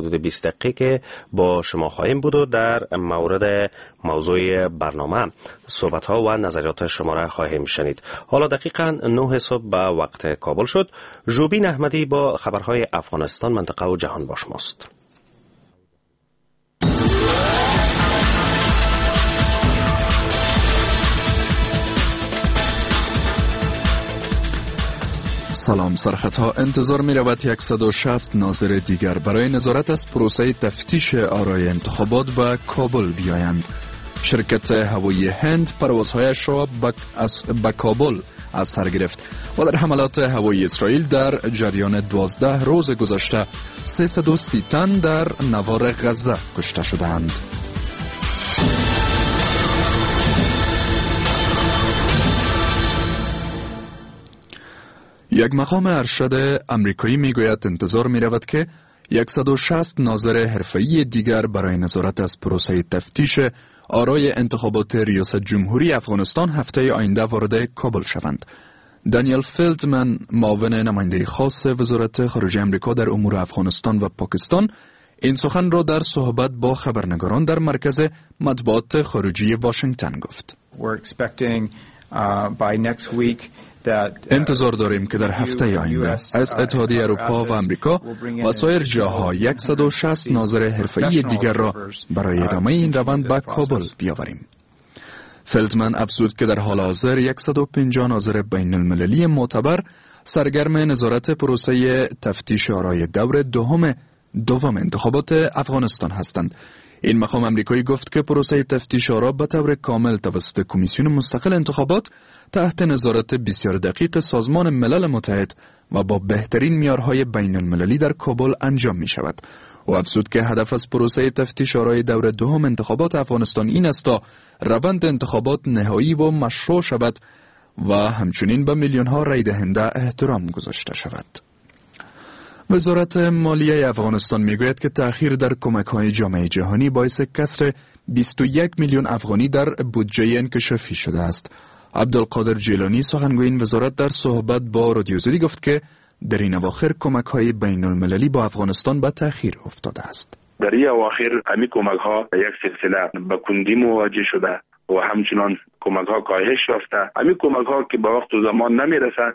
حدود 20 دقیقه با شما خواهیم بود و در مورد موضوع برنامه صحبت ها و نظریات شما را خواهیم شنید. حالا دقیقاً 9 صبح به وقت کابل شد. ژوبین احمدی با خبرهای افغانستان، منطقه و جهان با شماست. سلام سرخطها. انتظار می رود 160 ناظر دیگر برای نظارت از پروسه تفتیش آرای انتخابات به کابل بیایند. شرکت هوایی هند پروازهایش را به کابل از سر گرفت و در حملات هوایی اسرائیل در جریان 12 روز گذشته 330 تن در نوار غزه کشته شدند. یک مقام ارشد امریکایی میگوید انتظار میرود که 160 ناظر حرفه‌ای دیگر برای نظارت از پروسه تفتیش آرای انتخابات ریاست جمهوری افغانستان هفته آینده وارد کابل شوند. دانیل فیلدمن، معاون نماینده خاص وزارت خارجه امریکا در امور افغانستان و پاکستان، این سخن را در صحبت با خبرنگاران در مرکز مطبوعات خارجی واشنگتن گفت. انتظار داریم که در هفته آینده از اتحادیه اروپا و امریکا و سایر جاها 160 ناظر حرفه‌ای دیگر را برای ادامه این روند به کابل بیاوریم. فلدمن افزود که در حال حاضر 150 ناظر بین المللی معتبر سرگرم نظارت پروسه تفتیش آرای دور دوم انتخابات افغانستان هستند. این مقام امریکایی گفت که پروسه تفتیش آرا به طور کامل توسط کمیسیون مستقل انتخابات تحت نظارت بسیار دقیق سازمان ملل متحد و با بهترین معیارهای بین المللی در کابل انجام می شود. و افزود که هدف از پروسه تفتیش آرای دور دوم انتخابات افغانستان این است تا روند انتخابات نهایی و مشروع شود و همچنین به میلیون ها رای دهنده احترام گذاشته شود. وزارت مالیه افغانستان میگوید که تأخیر در کمک‌های جامعه جهانی باعث کسر 21 میلیون افغانی در بودجه انکشافی شده است. عبدالقادر جیلانی، سخنگوی این وزارت، در صحبت با رادیو آزادی گفت که در این اواخر کمک‌های بین المللی با افغانستان به تأخیر افتاده است. در این اواخر همین کمک‌ها یک سلسله به کندی مواجه شده و همچنان کمک ها کاهش یافته. همین کمک ها که به وقت و زمان نمیرسه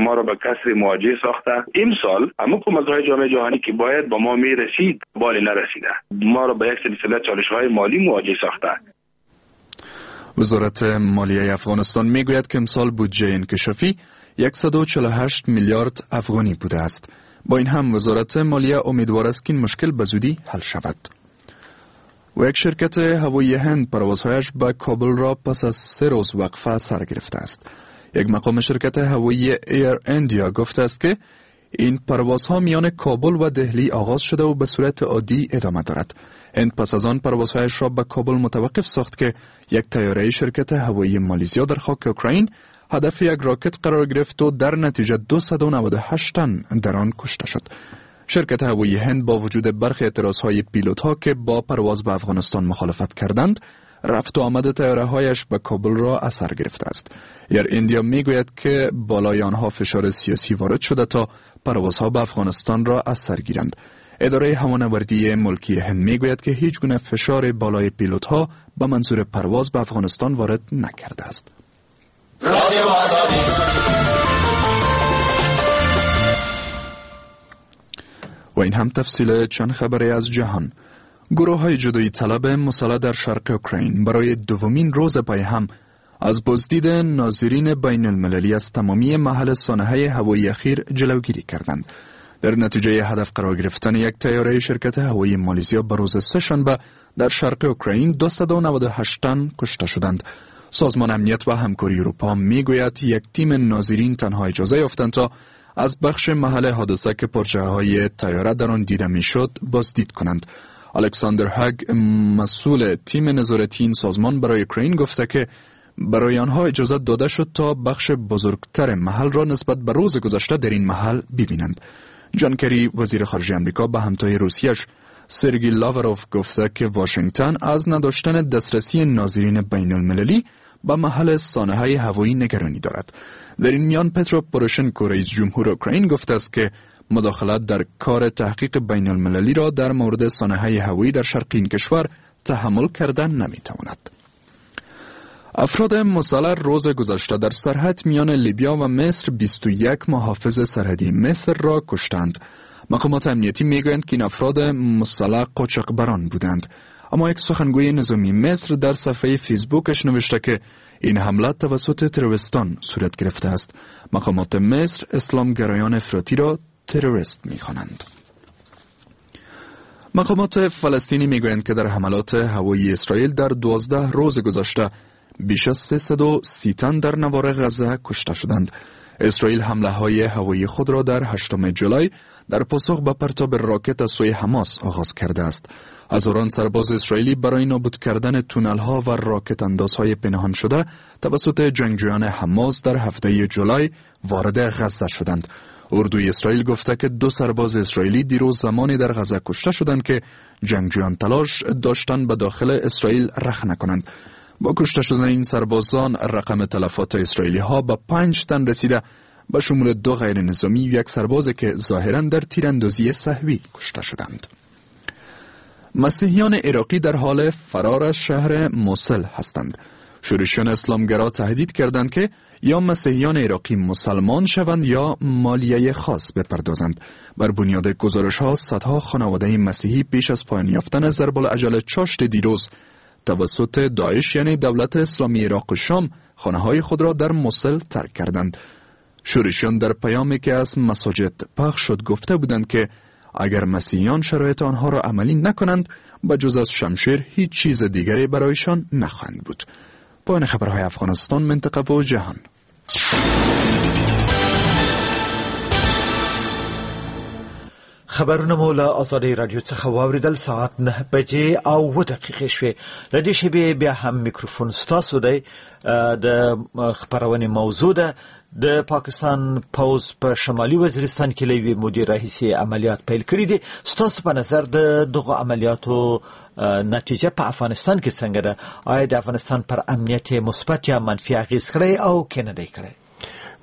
ما را به کسر مواجه ساخته. امسال همون کمک های جامعه جهانی که باید با ما میرسید بالی نرسیده، ما را به یک سلسله چالش های مالی مواجه ساخته. وزارت مالیه افغانستان میگوید که امسال بودجه انکشافی 148 میلیارد افغانی بوده است. با این هم وزارت مالیه امیدوار است که این مشکل به زودی حل شود. و یک شرکت هوایی هند پروازهایش به کابل را پس از 3 روز وقفه سر گرفته است. یک مقام شرکت هوایی ایر اندیا گفته است که این پروازها میان کابل و دهلی آغاز شده و به صورت عادی ادامه دارد. هند پس از آن پروازهایش را به کابل متوقف ساخت که یک طیاره شرکت هوایی مالیزیا در خاک اوکراین هدف یک راکت قرار گرفت و در نتیجه 298 تن در آن کشته شد. شرکت هوایی هند با وجود برخی اعتراض‌های پیلوت‌ها که با پرواز به افغانستان مخالفت کردند، رفت و آمد طیاره‌هایش به کابل را اثر گرفته است. ایر اندیا میگوید که بالای آنها فشار سیاسی وارد شده تا پروازها به افغانستان را اثر گیرند. اداره هوانوردی ملکی هند میگوید که هیچ گونه فشار بالای پیلوت‌ها به منظور پرواز به افغانستان وارد نکرده است. و این هم تفصیل چند خبری از جهان. گروه های جدایی طلب مسلح در شرق اوکراین برای دومین روز پای هم از بازدید ناظرین بین المللی از تمامی محل سانحه هوایی اخیر جلوگیری کردند. در نتیجه هدف قرار گرفتن یک طیاره شرکت هوایی مالیزیا به روز سه‌شنبه در شرق اوکراین 298 تن کشته شدند. سازمان امنیت و همکاری اروپا میگوید یک تیم ناظرین تنها اجازه یافتند تا از بخش محل حادثه که پرچه‌های طیاره در آن دیده میشد بازدید کنند. الکساندر هگ، مسئول تیم نظارتی این سازمان برای اوکراین، گفته که برای آنها اجازه داده شد تا بخش بزرگتر محل را نسبت به روز گذشته در این محل ببینند. جان کری، وزیر خارجه آمریکا، به همتای روسیش سرگی لاوروف گفته که واشنگتن از نداشتن دسترسی ناظرین بین المللی به محل سانحه هوایی نگرانی دارد. در این میان پترو پروشنکو، رئیس جمهور اوکراین، گفته است که مداخلت در کار تحقیق بین المللی را در مورد سانحه هوایی در شرق این کشور تحمل کردن نمیتواند. افراد مسلح روز گذشته در سرحد میان لیبیا و مصر 21 محافظ سرحدی مصر را کشتند. مقامات امنیتی میگویند که این افراد مسلح قاچاقبران بودند. اما یک سخنگوی نظامی مصر در صفحه فیسبوکش نوشته که این حمله توسط تروریستان صورت گرفته است. مقامات مصر اسلامگرایان افراطی را تروریست میخوانند. مقامات فلسطینی میگویند که در حملات هوایی اسرائیل در 12 روز گذشته بیش از 330 تن در نوار غزه کشته شدند. اسرائیل حمله های هوایی خود را در 8 جولای در پاسخ به پرتاب راکت از سوی حماس آغاز کرده است. هزاران سرباز اسرائیلی برای نابود کردن تونل ها و راکت اندازهای پنهان شده توسط جنگجویان حماس در 7 جولای وارد غزه شدند. اردوی اسرائیل گفته که 2 سرباز اسرائیلی دیروز زمانی در غزه کشته شدند که جنگجویان تلاش داشتند به داخل اسرائیل رخنه کنند. با کشته شدن این سربازان رقم تلفات اسرائیلی ها به 5 تن رسیده، به شمول 2 غیر نظامی و 1 سرباز که ظاهراً در تیراندازی سهوی کشته شدند. مسیحیان عراقی در حال فرار از شهر موصل هستند. شورشیان اسلامگرا تهدید کردند که یا مسیحیان عراقی مسلمان شوند یا مالیه خاص بپردازند. بر بنیاد گزارش ها صدها خانواده مسیحی پیش از پایان یافتن ضرب الاجل چاشت دیروز توسط داعش یعنی دولت اسلامی عراق و شام خانه های خود را در موصل ترک کردند. شورشیان در پیامی که از مساجد پخش شد گفته بودند که اگر مسیحیان شرایط آنها را عملی نکنند به جز از شمشیر هیچ چیز دیگری برایشان نخواهند بود. پایان خبرهای افغانستان، منطقه و جهان. خبرونه مو له ازادۍ راډیو څخه واورېدل. ساعت 9:07 شوې. له دې شېبې بیا هم میکروفون ستاسو دی. د خپرونې موضوع ده د پاکستان پوځ په شمالي وزیرستان کې له یوې مودې راهیسې عملیات پیل کړي دي. ستاسو په نظر د دغو عملیاتو نتیجه په افغانستان کې څنګه ده؟ آیا د افغانستان پر امنیت مثبت یا منفي اغېز کړی او که نه دی کړی؟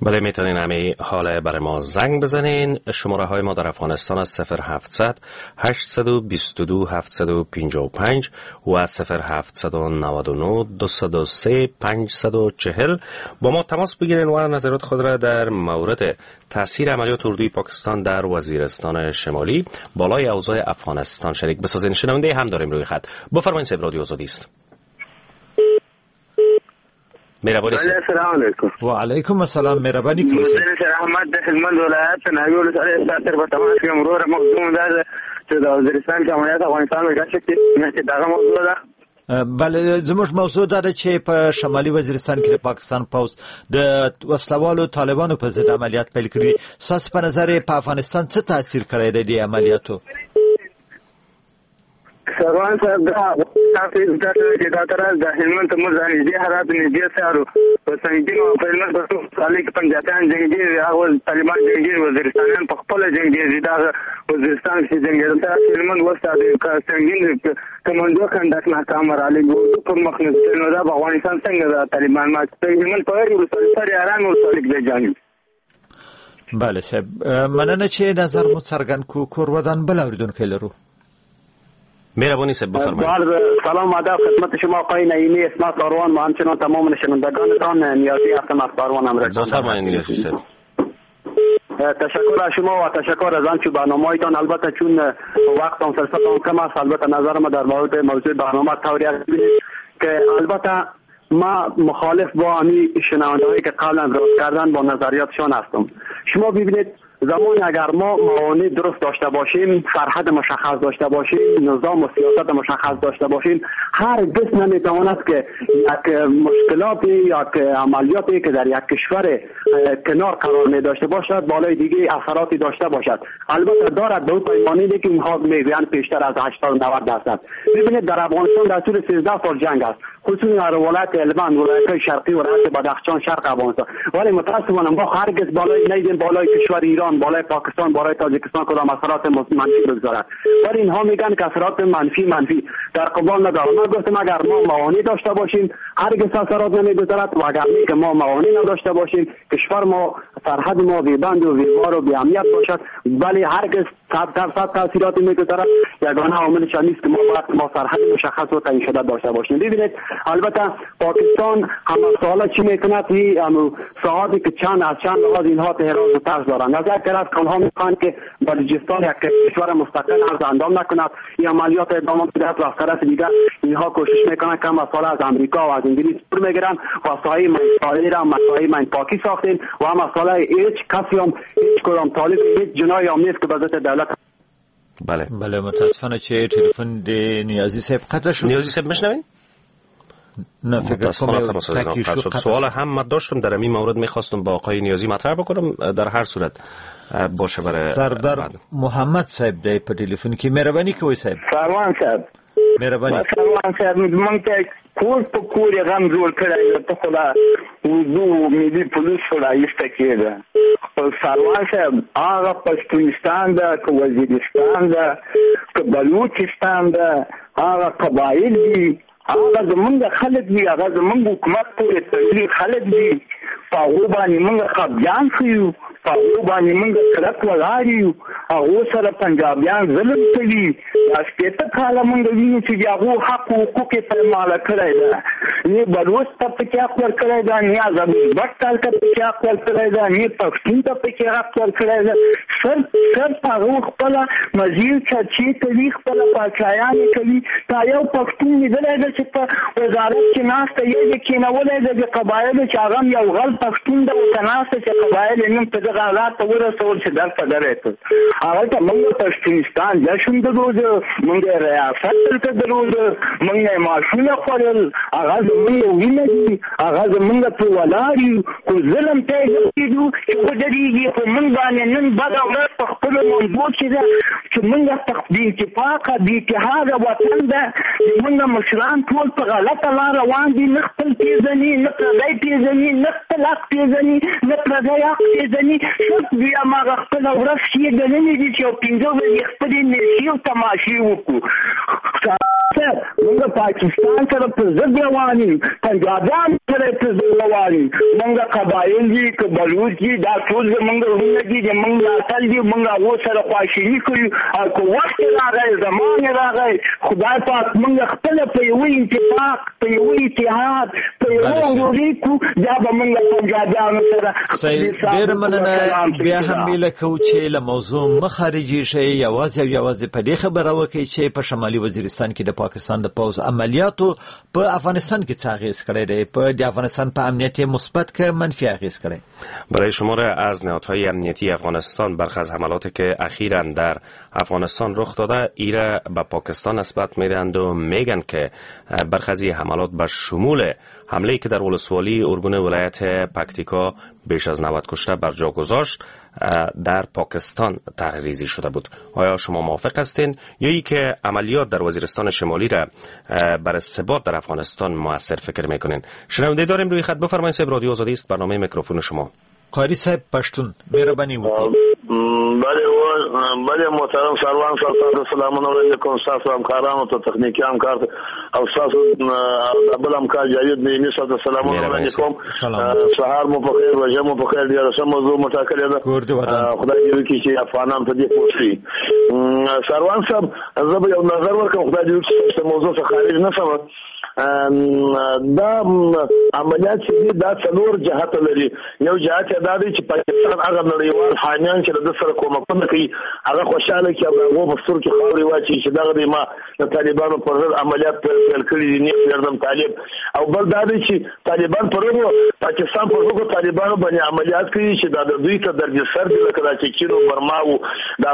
بله، میتونین همه حال برای ما زنگ بزنین. شماره های ما در افغانستان است 0700 822 755 و 0799 203 540. با ما تماس بگیرین و نظرات خود را در مورد تاثیر عملیات اردوی پاکستان در وزیرستان شمالی بالای اوضاع افغانستان شریک بسازین. شنونده هم داریم روی خط. بفرمایید. صاحب رادیو آزادی است. مهربانی. السلام علیکم. و علیکم السلام. مهربانی کوئ. احمد د هلمند ولایت ناوی ولسوالۍ ساتر په تماس کې وروره. موضوع دا ده چې د وزیرستان کې عملیات افغانستان کې چې دغه موضوع ده. بله، زموږ موضوع دا ده چې په شمالي وزیرستان کې د پاکستان پوځ د وسلوالو طالبانو په ضد عملیات پیل کړي. ستاسو په نظر په افغانستان څه تاثیر کړی دی دې عملیاتو؟ سروان صاحب، دا تاسو چې دا تر د هلمند ته موږ نږدې حالات نږدې سارو په سنګین او په هلمند په ولسوالۍ کې پنجابیان جنګېږي، هغه طالبان جنګېږي، وزیرستانیان په خپله جنګېږي. دا وزیرستان کې جنګېدل تر هلمند وسته د سنګین کمانډو خندق ناکام راغلی پر مخ نه. نو دا په افغانستان څنګه دا طالبان ما هلمند په هرې ولسوالۍ سره ارام ولسوالۍ کې جنګېږي. بله صاحب، مننه چې نظر مو څرګند کړو. کور ودان. بل اورېدونکی لرو. مهربانی صاحب بفرمایید. سلام آداب خدمت شما آقای نعیمی، اسمت آروان و همچنان تمام شنوندگانتان. نیازی هستم از آروان همراه. بفرمایید نیازی صاحب. تشکر از شما و تشکر از آنچه برنامه‌هایتان. البته چون وقت و فرصت هم کم است، البته نظر ما در مورد موضوع برنامه طوری است که البته ما مخالف با همی شنونده‌هایی که قبلا رد کردن با نظریاتشان هستم. شما ببینید زمان اگر ما موانع درست داشته باشیم، سرحد مشخص داشته باشیم، نظام و سیاست مشخص داشته باشیم، هرگز نمیتواند که یک مشکلاتی یا عملیاتی که در یک کشور کنار قرار می داشته باشد بالای دیگه اثراتی داشته باشد. البته دارد به او پیمانه که اینها میگویند پیشتر از 80-90%. ببینید در افغانستان در طول 13 سال جنگ است، خصوصا در ولایت هلمند، ولایت‌های شرقی و ولایت بدخشان، شرق افغانستان. ولی متاسفانه ما هرگز بالای نیدیم بالای کشور ایران، بالای پاکستان، بالای تاجیکستان کدام اثرات منفی بگذارد. ولی اینها میگن که اثرات منفی در قبال نداره. ما گفتم اگر ما موانع داشته باشیم، هرگز اثرات نمیگذارد و اگر که ما موانع نداشته باشیم، کشور ما، سرحد ما بی بند و بی بار و بی امنیت باشد، ولی هرگز 100% تاثیرات میگذارد. یگانه عاملش نیست که ما باید ما سرحد مشخص و تعیین شده داشته باشیم. ببینید البته پاکستان همه ساله چی میکند، این ساعاتی که چند از چند لحاظ اینها تهران و ترس دارند. از یک طرف آنها میخواهند که بلوچستان یک کشور مستقل عرض اندام نکند، این عملیات ادامه میدهد و از طرف دیگر اینها کوشش میکنند که همه ساله از امریکا و از انگلیس پول میگیرند و ساحه مسائل را مسائل من پاکی ساختیم و همه ساله هیچ کسی هم هیچ کدام طالب هیچ جنایی هم نیست که به ضد دولت. بله بله، متاسفانه چې ټلیفون د نیازی صاحب قطع شد. نیازی صاحب میشنوین؟ نه فکر کنم شد. سوال هم من داشتم در این مورد، میخواستم با آقای نیازی مطرح بکنم. در هر صورت باشه برای سردار محمد صاحب دی په ټلیفون کې. مهرباني کوئ صاحب. سروان صاحب مهرباني. سروان صاحب مونږ ته کور په کور یې غم جوړ کړی، ته خو لا اردو ملي پولیس خو لا ایسته کېده. خپل سروان صاحب هغه پښتونستان ده که وزیرستان ده که بلوچستان ده، هغه قبایل دي، هغه زمونږ خلک دي، هغه زمونږ حکومت پورې تړلي خلک دي. په هغو باندې مونږ خپګان ښیو، په هغو باندې مونږ کلک ولاړ یو. هغو سره پنجابیان ظلم کوي. دا 60 کاله مونږ وینو چې د هغو حق و حقوق یې پرماله کړی ده. نه بلوڅ ته پکې حق ورکړی ده، نه ازبک ته پکې حق ورکړی ده، نه پښتون ته پکې حق ورکړی ده. صرف هغو خپله مزیر چرچې کوي، خپله پاچایانې کوي. تا یو پښتون لیدلی ده چې په وزارت کې ناسته یې دې کښېنولی ده د قبایلو، چې هغه هم یو غل پښتون ده ورته ناسته چې قبایل یې نن په دغه حالات ته ورسول چې دلته درې کړ. هغه ته موږ پښتونستان جشن درلود، موږ ریاست دلته درلود، موږ یې معاشونه خوړل. هغه زموږ وینه دي، هغه زموږ په ولاړ یو، خو ظلم ته یې نه پرېږدو چې ودرېږي. خو موږ باندې نن بده ورځ په خپلو منبو کې ده چې موږ بې اتفاقه بې اتحاده وطن ده. موږ مشران ټول په غلطه لار روان دي، نه خپل پېژني، نه پردی پېژني، نه خپل حق پېژني، نه پردی حق پېژني. صرف دوی هماغه خپله ورځ ښې ګڼلې دي چې یو 5 ورځې خپلې نشې او تماشې وکړو. موږ پاکستان سره په ضد روان یو، پنجابیان سره په ضد روان یو. موږ قبایل دي که بلوچ دي، دا ټول زموږ وروڼه دي، زموږ ملاتړ دي. موږ هغو سره خواشیني کوو. او که وخت راغی، زمان راغی، خدای پاک موږ خپله په یوه اتفاق، په یوه اتحاد، په یوه وروري کړو، بیا به موږ پنجابیانو سره. ډېره مننه. بیا هم هیله کوو چې له موضوع مه خارجېږئ، یوازې او یوازې په دې خبره وکړئ چې په شمالي وزیرستان کې د پاکستان د پوځ عملیاتو په افغانستان کې څه اغېز کړی دی، په د افغانستان په امنیت یې مثبت که منفي اغېز کړی؟ برای شمار از نهادهای امنیتی افغانستان برخی از حملاتی که اخیراً در افغانستان رخ داده ایره به پاکستان نسبت میدهند و میگن که برخی از حملات به شمول حمله که در ولسوالی ارگون ولایت پکتیکا بیش از 90 کشته بر جا گذاشت در پاکستان طرح‌ریزی شده بود. آیا شما موافق هستین یا ای که عملیات در وزیرستان شمالی را بر ثبات در افغانستان موثر فکر میکنین؟ شنونده داریم روی خط، بفرمایید صاحب. رادیو آزادی است، برنامه میکروفون شما. قاری صاحب پښتون مهرباني وکړئ. بله بله محترم سروان صاحب، تاسو سلامونه وړاندې کوم. ستاسو همکارانو ته، تخنیکي همکار او ستاسو بل همکار جاوید نعیمي صاحب ته سلامونه وړاندې کوم. سهار مو په خیر، روژه مو په خیر. ډېره ښه موضوع مو ټاکلې ده، خدای دې وکړي چې افغانان په دې پوه شي. سروان صاحب، زه به یو نظر ورکړم، خدای دې وکړي چې موضوع څخه خارج نه شم. دا عملیات چې دي دا څلور جهته لري. یو جهت یې دا دی چې پاکستان هغه نړیوال حامیان چې له ده سره کومکونه کوي هغه خوشحاله کړي او د هغو په سترګو کې خاورې واچوي چې دغه دی ما د طالبانو پر ضد عملیات پیل کړي دي، نیغ پرېږدم طالب. او بل دا دی چې طالبان پر هغو پاکستان پر هغو طالبانو باندې عملیات کوي چې دا د دوی ته دردسر دي، لکه دا چې چین او برما او د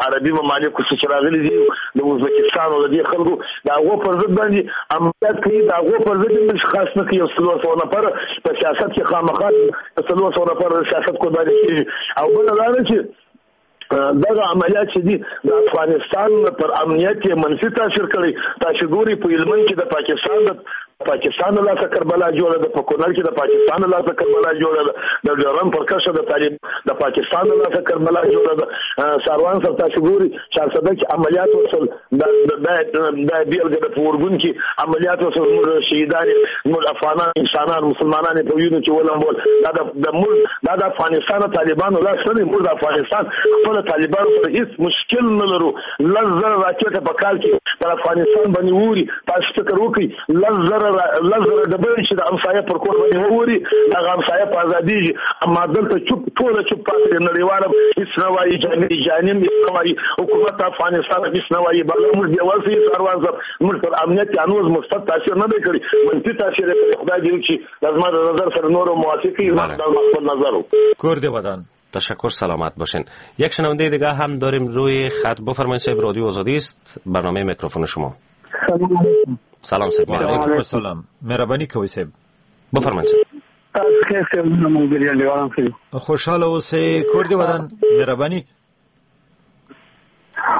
عربي ممالکو څخه چې راغلي دي، د ازبکستان او د دې خلکو د هغو پر ضد باندې عملیات کوي. د هغو پر ضد هم خاص نه کوي. یو 400 نفر په سیاست کې خامخا 400 نفر د سیاست قرباني کېږي. او بله دا ده چې دغه عملیات چې دي د افغانستان پر امنیت یې منفي تاثیر کړی. تاسو ګورئ په هلمند کې د پاکستان د پاکستان له لاسه کربلا جوړه ده، په کونړ کې د پاکستان له لاسه کربلا جوړه ده، د ډیورن پر کرښه د طالب د پاکستان له لاسه کربلا جوړه ده. ساروان صاحب تاسو ګوري چارسده کې عملیات وشول، د بېلګه د په ارګون کې عملیات وشول، موږ شهیدان، موږ افغانان انسانان مسلمانان په وینو کې ولمبول. دا د موږ دا د افغانستان طالبانو لاس نه دی، موږ د افغانستان خپل طالبانو سره هیڅ مشکل نه لرو. 10,000 راکټه په کال کې پر افغانستان باندې ووري، تاسو فکر وکړئ 10,000 ډبرې چې د همسایه پر کور باندې ووري، دغه همسایه په ازادېږي. اما دلته چوپ ټوله چوپ پاتې دي، نړیوال هیڅ نه وایي، جانم هیڅ نه وایي، حکومت افغانستان هیڅ نه وایي. بله موږ بېوسه یو ساروان صاحب، موږ پر امنیت هنوز مثبت تاثیر نه دی کړی، منفي تاثیر یې کړی. خدای دې وکړي دا زما د نظر سره نورو موافق وي، زما خپل نظر و. کور دې ودان. تشکر، سلامت باشین. یک شنونده دیگه هم داریم روی خط. بفرمایید صاحب، رادیو آزادی است، برنامه میکروفون شما. سلام علیکم. سلام صاحب. علیکم السلام. مهرباني کوئ صاحب. بفرمایید صاحب. خوشحاله اوسئ، کور دې ودان، مهرباني.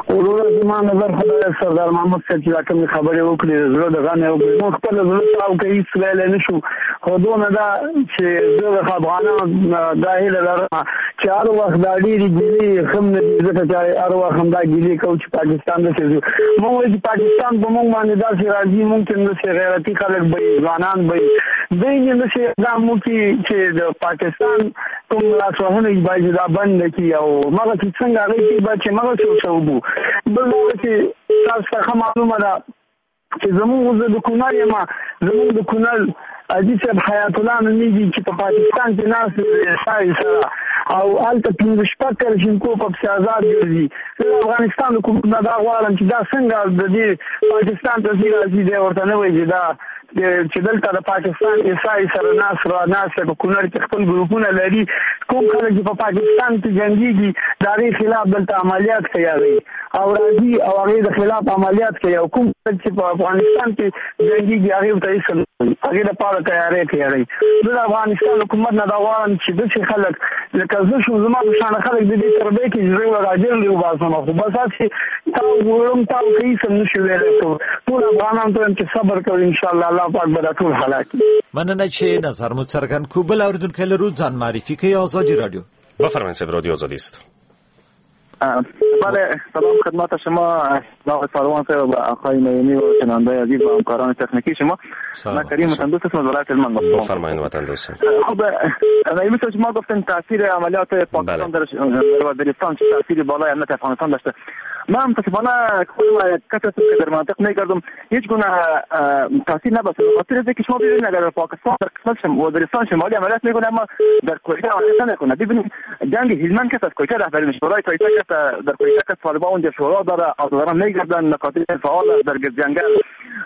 وروره زما نظر خو دا سردار محمود صاحب چې دا کومې خبرې وکړې، زړه د غم یې وکړې، موږ خپل زړه تاو کوي، هېڅ ویلی نه شو. خو دونه ده چې زه د افغانانو دا هیله لرم چې هر وخت دا ډېرې ګیلې ښه نه دي، ځکه چې هر وخت همدا ګیلې کوو چې پاکستان داسې ځو. موږ وایو چې پاکستان په موږ باندې داسې راځي، موږ چې داسې غیرتي خلک به یي، ځوانان به یي، دوی دې داسې اقدام وکړي چې د پاکستان کوم لاسوهنه باید دا بنده کړي، او مغه چې څنګه هغوی کوي باید چې مغسې ورسره وبو. بل دا چې تاسو ته ښه معلومه ده چې زموږ زه د کونړ یم، زموږ د کونړ حاجي صاحب حیات الله نومېږي چې په پاکستان کې ناست دی سره، او هلته 5-6 کلشینکو په پسې ازاد ګرځي. زه د افغانستان حکومت نه دا غواړم چې دا څنګه د دې پاکستان ته ځي راځي، دی ورته نه وایي چې دا چې دلته د پاکستان ایسای سره ناست را ناست په کونړ کې خپل ګروپونه لري، کوم خلک چې په پاکستان کې جنګېږي د هغې خلاف دلته عملیات کوي هغوی او راځي او هغې د خلاف عملیات کوي، او کوم خلک چې په افغانستان کې جنګېږي هغې ورته هېڅ نه وایي، هغې لپاره تیاری کوي هغوی. زه د افغانستان حکومت نه دا غواړم چې داسې خلک لکه زه شوم، زما په شان خلک د دې تربیې کې زه راجر دی وباسم، خو بس هسې تاو وړم تاو کوي څه نه شو ویلی. ټول افغانان ته وایم چې صبر کوئ، انشاءالله الله پاک به دا ټول هلاک کړي. مننه چې نظر مو څرګند کړو. بل اوریدونکی لرو، ځان معرفي کوي، ازادي رادیو. بفرمایید صاحب، رادیو آزادی است. بله، سلام خدمت شما آقای ساروان صاحب و آقای نعیمی و شنونده عزیز و همکاران تکنیکی شما. من کریم وطندوست هستم از ولایت هلمند. بفرمایید وطندوست. خب نعیمی صاحب، شما گفتن تاثیر عملیات پاکستان در وزیرستان چه تاثیر بالای امنیت افغانستان داشته. من متاسفانه خودم کسی هستم که در مناطق میگردم، هیچ گونه تاثیر نباشه. به خاطر اینکه شما ببینید اگر پاکستان در قسمت وزیرستان شمالی عملیات میکنه اما در کویته عملیات نمیکنه. ببینید جنگ هلمند که از کویته رهبری میشه، برای کویته که در کویته که طالبان اونجا شورا داره، آزادان میگردن، مکاتب فعال در جنگل،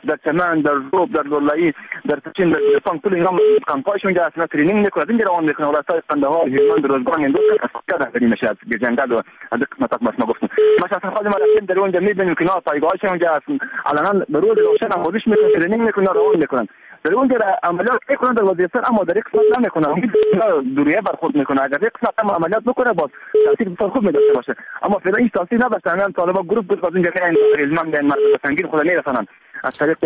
در چمن، در روب، در لولایی، در چین، در گلستان، کل اینا کمپایشون اونجا اصلا training میکنه، اینجا روان میکنه. ولایت‌های قندهار، هلمند، روزگان، این دو تا رهبری میشه از جنگل و از قسمت ما گفتم. ما شخصا خود ما رفتیم در اونجا میبینیم که اینا پایگاه‌هاشون اونجا علنا به روز روشن آموزش میکنن، training میکنن، روان میکنن. در اونجا عملیات میکنن در وزیرستان، اما در قسمت نمیکنن، دوریه برخورد میکنه. اگر یک قسمت هم عملیات بکنه باز تاثیر بسیار خوب میداشته باشه، اما فعلا این تاثیر نداشته. همین طالبا گروپ گروپ از اونجا میرن هلمند، میرن مرز سنگین خود میرسانن از طریق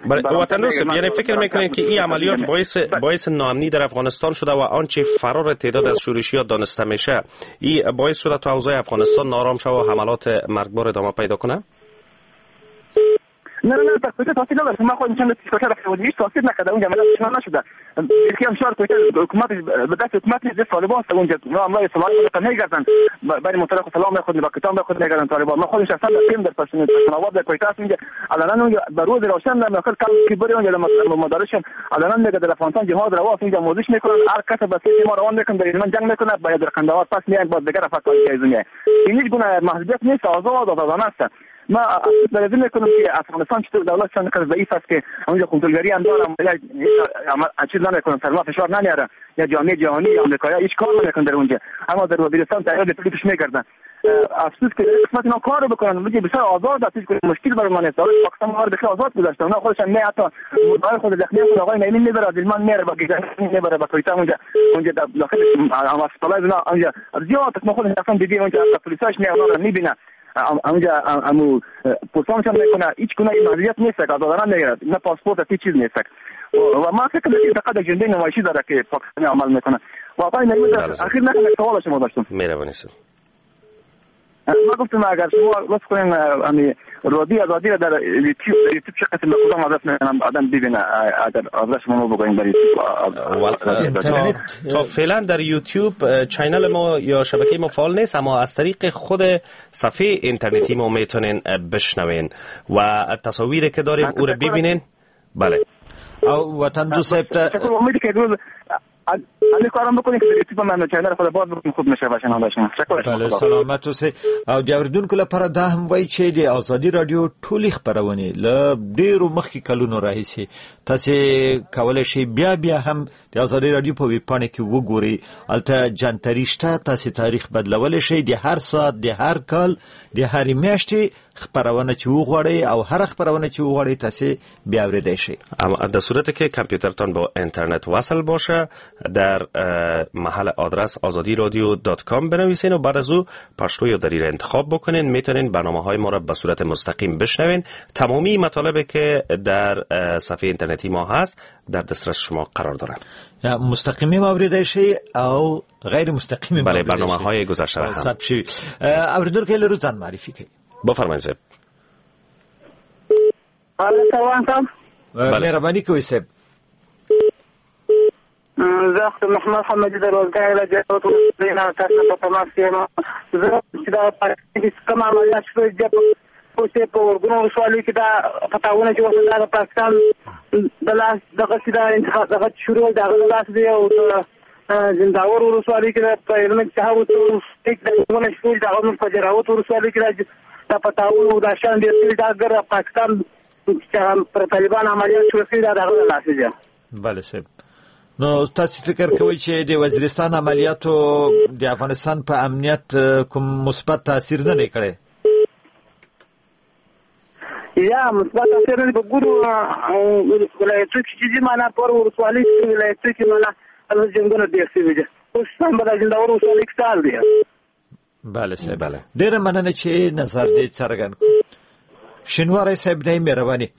وطندوست. یعنی فکر میکنید که این عملیات باعث ناامنی در افغانستان شده و آنچه فرار تعداد از شورشی‌ها دانسته میشه این باعث شده تا اوضاع افغانستان نارام شود و حملات مرگبار ادامه پیدا کنه؟ نه نه، در کویته تاثیر نداشت. ما خودم چند کویته رفته بودیم، هیچ تاثیر نکرده. اونجا عملیات شما نشده. یکی هم شهر کویته حکومت به دست حکومت نیست، طالبان است اونجا. اونا حمله سلاح خود میگردن برای مطلق سلام خود با کتاب خود میگردن طالبان. ما خودم شخصا رفتیم در پشتون در کویته است اونجا. علنا اونجا به روز روشن در داخل کم که بری اونجا مدارش علنا میگه در افغانستان جهاد رواست، اونجا آموزش میکنن، هر کس به سوی ما روان میکنن، در هلمند جنگ میکنه، باید در قندهار پس میان، باز دیگر افغان میاد. این هیچ گونه محدودیت نیست، آزاد آزادانه است. ما افسوس میکنم که افغانستان چطور دولت چند ضعیف است که اونجا کنترلگری هم دارم، چیز نمیکنن، سر ما فشار نمیاره، یا جامعه جهانی یا آمریکایی هیچ کار نمیکنن در اونجا. اما در وزیرستان تعداد پلیسش میگردن. افسوس که قسمت اینا کار بکنن، میگه بسیار آزاد است، هیچ مشکل برای ما نیست. پاکستان ما رو بخیر آزاد گذاشته، اونا خودشان نه حتی مردای خود زخمی خود آقای نعیمی میبره، دلمان میره با گیجان میبره با کویته اونجا، اونجا داخل اسپتالای اونجا زیاد ما خودش اصلا دیدیم اونجا پلیساش نه اونا رو میبینه. اونجا امو پرسانشان میکنه، هیچ گونه محدودیت نیست، آزادانه میگیره، نه پاسپورت هیچ چیز نیست. و ما فکر میکنم فقط اجنده نمایشی داره که پاکستانی عمل میکنه. و آقای نعیمی اخیر نه سوال شما داشتم. مهربانی سر. ما گفتم اگر شما لطف کنین امی رادیو آزادی را در یوتیوب چه قسم کدام آدرس میتونم آدم ببینه، اگر آدرس شما بگوین در یوتیوب. تا فعلا در یوتیوب channel ما یا شبکه ما فعال نیست، اما از طریق خود صفحه اینترنتی ما میتونین بشنوین و تصاویری که داریم او را ببینین. بله. او وطن دوست صاحب همین کارم بکنید که در یوتیوب من channel خود باز بکنم خوب میشه باشن شما. بله سلامت اوسئ. او د اوریدونکو لپاره دا هم وایي چې د ازادي رادیو ټولې خپرونې له ډېرو مخکې کلونو راهیسې تاسې کولی شئ بیا بیا هم د ازادي رادیو په ویب پاڼه کې وګورئ. هلته جنتري شته، تاسې تاریخ بدلولی شئ، د هر ساعت، د هر کال، د هرې میاشتې خپرونه چې وغواړئ او هره خپرونه چې وغواړئ تاسې بیا اورېدای شئ. اما در صورتی که کامپیوترتان با اینترنت وصل باشه در محل آدرس azadiradio.com بنویسین و بعد از او پشتو یا دری را انتخاب بکنین، میتونین برنامه های ما را به صورت مستقیم بشنوین. تمامی مطالبی که در صفحه اینترنتی ما هست در دسترس شما قرار دارند. مستقیمی اوریدای شئ او غیر مستقیمی. بله، برنامه های گذشته را هم ثبت شوي. اوریدونکو له ځان معرفي کوي. بفرمایید صاحب. مهرباني کوئ صاحب. زه محمد حمدي د روزګار له جهت نه تاسو په تماس کې یم. زه چې دا پاکستان کې کوم عملیات شوي دي اوس په ورګونو ولسوالۍ کې دا پتاونه چې اوس دا د پاکستان د لاس دغه چې دا انتخاب دغه شروع د هغه لاس دی او د زنداور ولسوالۍ کې په هلمند کې هغه ونه شروع د هغه په دراوت ولسوالۍ کې دا پتاونه دا شان ډېر شوي، دا ګر پاکستان چې پر طالبان عملیات شروع کړي دا د هغه لاس دی. بله صاحب، نو تاسو فکر کوئ چې د وزیرستان عملیاتو د افغانستان په امنیت کوم مثبت تاثیر نه دی کړی؟ یا مثبت تاثیر نه دی، په ګورو ولایتو کې چې دي معنا پر ولسوالۍ کې ولایتو کې معنا هلته جنګونه ډېر شوي دي، اوس هم به د زنداور ولسوالۍ کې څه دی. بله صاحب، بله، ډېره مننه چې نظر دې څرګند کړ. شینواری صاحب دی، مهرباني.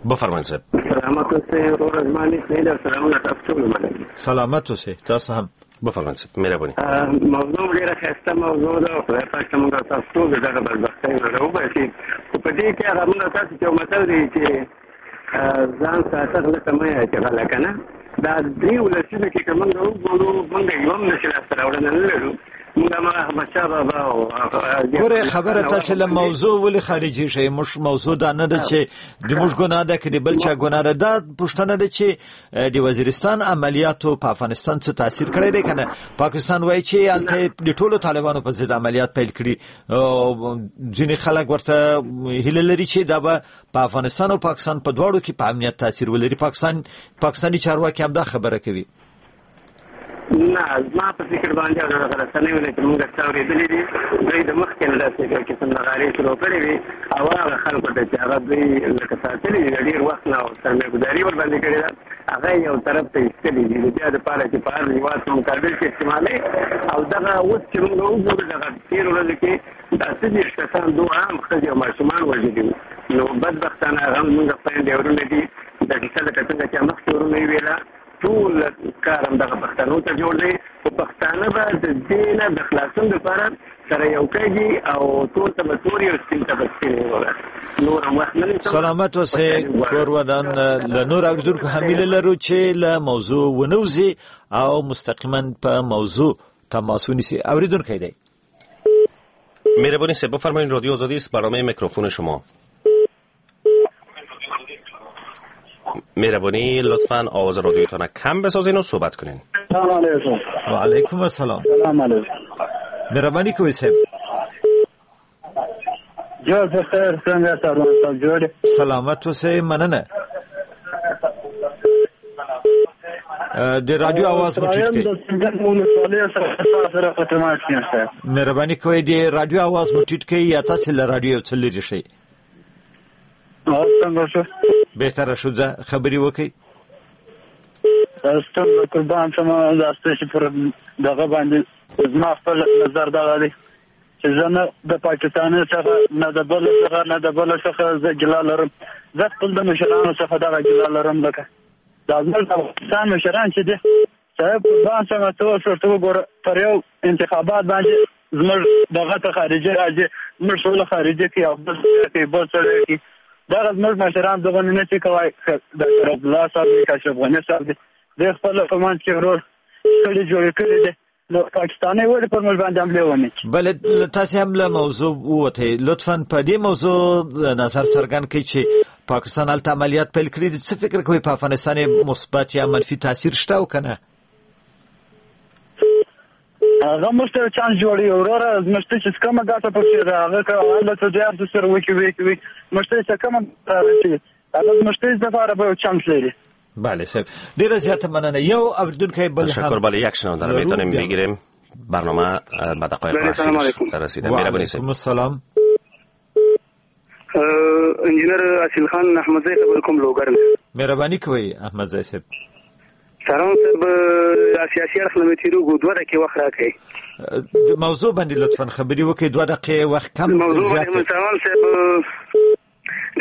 بفرمایئ صاحب. سلامت اوسئ وروره، زما نیک هیله او سلامونه تاسو ټولو مننه. سلامت اوسئ تاسو هم. بفرمایئ صاحب، مهرباني. موضوع ډېره ښایسته موضوع ده، خدای پاک ته موږ تاسو ټول د دغه بدبختۍ نه راوباسي. خو په دې کې هغه موږ تاسو ته یو متل دی چې ځان ساته غله ته مه یې چې غله که نه، دا درېیو لسیزو کې که موږ وګورو موږ یو هم نه شي لاسته راوړنه نه لرو. موږ احمدشاه بابا ګوره خبره تاسو له موضوع ولې خارجي شئ؟ موږ موضوع دا نه ده چې د موږ ګناه ده که د بل چا ګناه ده، دا پوښتنه ده چې د وزیرستان عملیاتو په افغانستان څه تاثیر کړی دی که نه؟ پاکستان وایي چې هلته د ټولو طالبانو په ضد عملیات پیل کړي، ځینې خلک ورته هیله لري چې دا به په افغانستان او پاکستان په دواړو کې په امنیت تاثیر ولري. پاکستاني چارواکي هم دا خبره کوي. نه، زما په فکر باندې او دغه رسنیو نه چې موږ څه اورېدلي دي، دوی د مخکې نه داسې یو قسم نغارې شروع کړې وې او هغه خلکو ته چې هغه دوی لکه ساتلي دي د ډېر وخت نه او سرمایه ګذاري ورباندې کړې ده، هغه یې یو طرف ته ایستلي دي د بیا دپاره چې په هر هېواد په مقابل کې استعمالوي. او دغه اوس چې موږ وګورو دغه تېرو ورځو کې دا 30 کسان دوه عام ښځې او ماشومان وژلي وو. نو بدبختانه هغه هم زموږ خویندې وروڼه دي. دا کیسه لکه څنګه چې مخکې وروڼه یې ویله، ټول کار هم دغه پښتنو ته جوړ دی، خو پښتانه به د دې نه د خلاصون دپاره سره یو کېږي او تور ته به تور او سپین ته به سپین وروره. نور هم وخت نه نیسم. سلامت اوسئ کور ودان. له نور اورېدونکو هم هیله لرو چې له موضوع ونه وځي او مستقیما په موضوع تماس ونیسي. اورېدونکی دی. مهرباني صاحب، بفرمایید. رادیو آزادی است، برنامه میکروفون شما. مهربانی لطفاً آواز رادیوتان کم بسازین و صحبت کنین. سلام علیکم. و علیکم السلام. سلام علیکم. مهرباني کوئ صاحب. جوړ په خیر، څنګه سلام صاحب جوړ؟ سلامت اوسئ، مننه. د رادیو آواز مو ټیټ کړئ. مهرباني کوئ د رادیو آواز مو ټیټ کړئ یا تاسو له رادیو څخه لرې شئ. څنګه شو؟ بهتره شو، ځه خبرې وکړئ. ستاسو قربان شم، دا ستاسو پر دغه باندې زما خپل نظر دغه دی چې زه نه د پاکستان څخه، نه د بل څخه، نه د بل څخه زه ګیله لرم. زه خپل د مشرانو څخه دغه ګیله لرم، لکه دا زموږ د افغانستان مشران چې دي صاحب قربان شم، ته اوس ورته وګوره، پر یو انتخابات باندې زموږ دغه ته خارجي راځي، زموږ سوله خارجي کوي او بل سړی کوي، بل سړی کوي. دغه زموږ مشران دغه نه شي کولی. ډاکټر عبدالله صاحب دی، اشرف غني صاحب دی، دوی خپل په منځ کې ورور شخړې جوړې کړې دي. نو پاکستاني ولې پر موږ باندې حملې ونه کړي؟ بله، تاسې هم له موضوع ووتئ، لطفا په دې موضوع نظر څرګند کړئ چې پاکستان هلته عملیات پیل کړي دي، څه فکر کوئ په افغانستان یې مثبت یا منفي تاثیر شته او که نه؟ هغه موږ ته چانس جوړوي وروره، موږ ته چې کومه ګټه پکې ده هغه که هلته دوی هر څه سره وکړي، موږ ته چې کومه رارسي هغه موږ ته لپاره به یو چانس لري. بله صاحب، ډیره زیاته مننه. یو اوریدونکی بل هم تشکر. بله، یک شنونده رو میتونیم بگیریم. برنامه به دقایق اخیر رسیده. مهربانی صاحب. السلام. انجینر اصیل خان احمدزی خبر کوم لوګر. مهرباني کوئ احمدزی صاحب. سلام صاحب، سیاسي اړخ نه مې تېرېږو، 2 دقیقې وخت راکړئ. د موضوع باندې لطفا خبرې وکړئ، 2 دقیقې وخت کم زیات. سلام صاحب،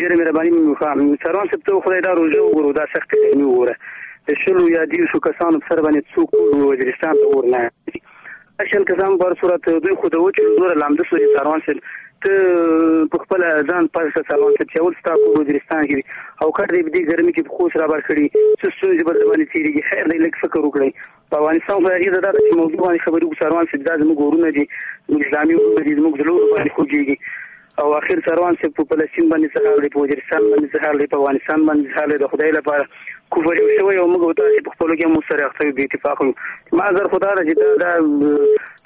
ډېره مهرباني مې وکړه. سروان صاحب، ته خدای دا روژه وګورو، دا سختې ګرمي وګوره، د 20 یا 30 کسانو په سر باندې څوک وزیرستان ته اور نه 20 کسان په هر صورت دوی خو د وچې دومره لامده سو. سروان صاحب، ته په خپله ځان پاک کړه. سروان صاحب، چې اول ستا کور وزیرستان کې او کټ دی په دې ګرمي کې په خوست رابار کړي، څه ستونزې به در باندې تېرېږي. خیر دی، لږ فکر وکړئ. په افغانستان خو هغې ته دا ده چې موضوع باندې خبرې وکړو. سروان صاحب، دا زموږ ورونه دي، زموږ اسلامي ورونه دي، زموږ زړه باندې خوږېږي. او اخر سروان صاحب، په فلسطین باندې څه حال دی، په وزیرستان باندې څه حال دی، په افغانستان باندې څه حال دی، د خدای لپاره کفر یو شوی او موږ او تاسې په خپلو کې هم سره اخته یو، بې اتفاق یو. ما نظر خو دا ده چې دا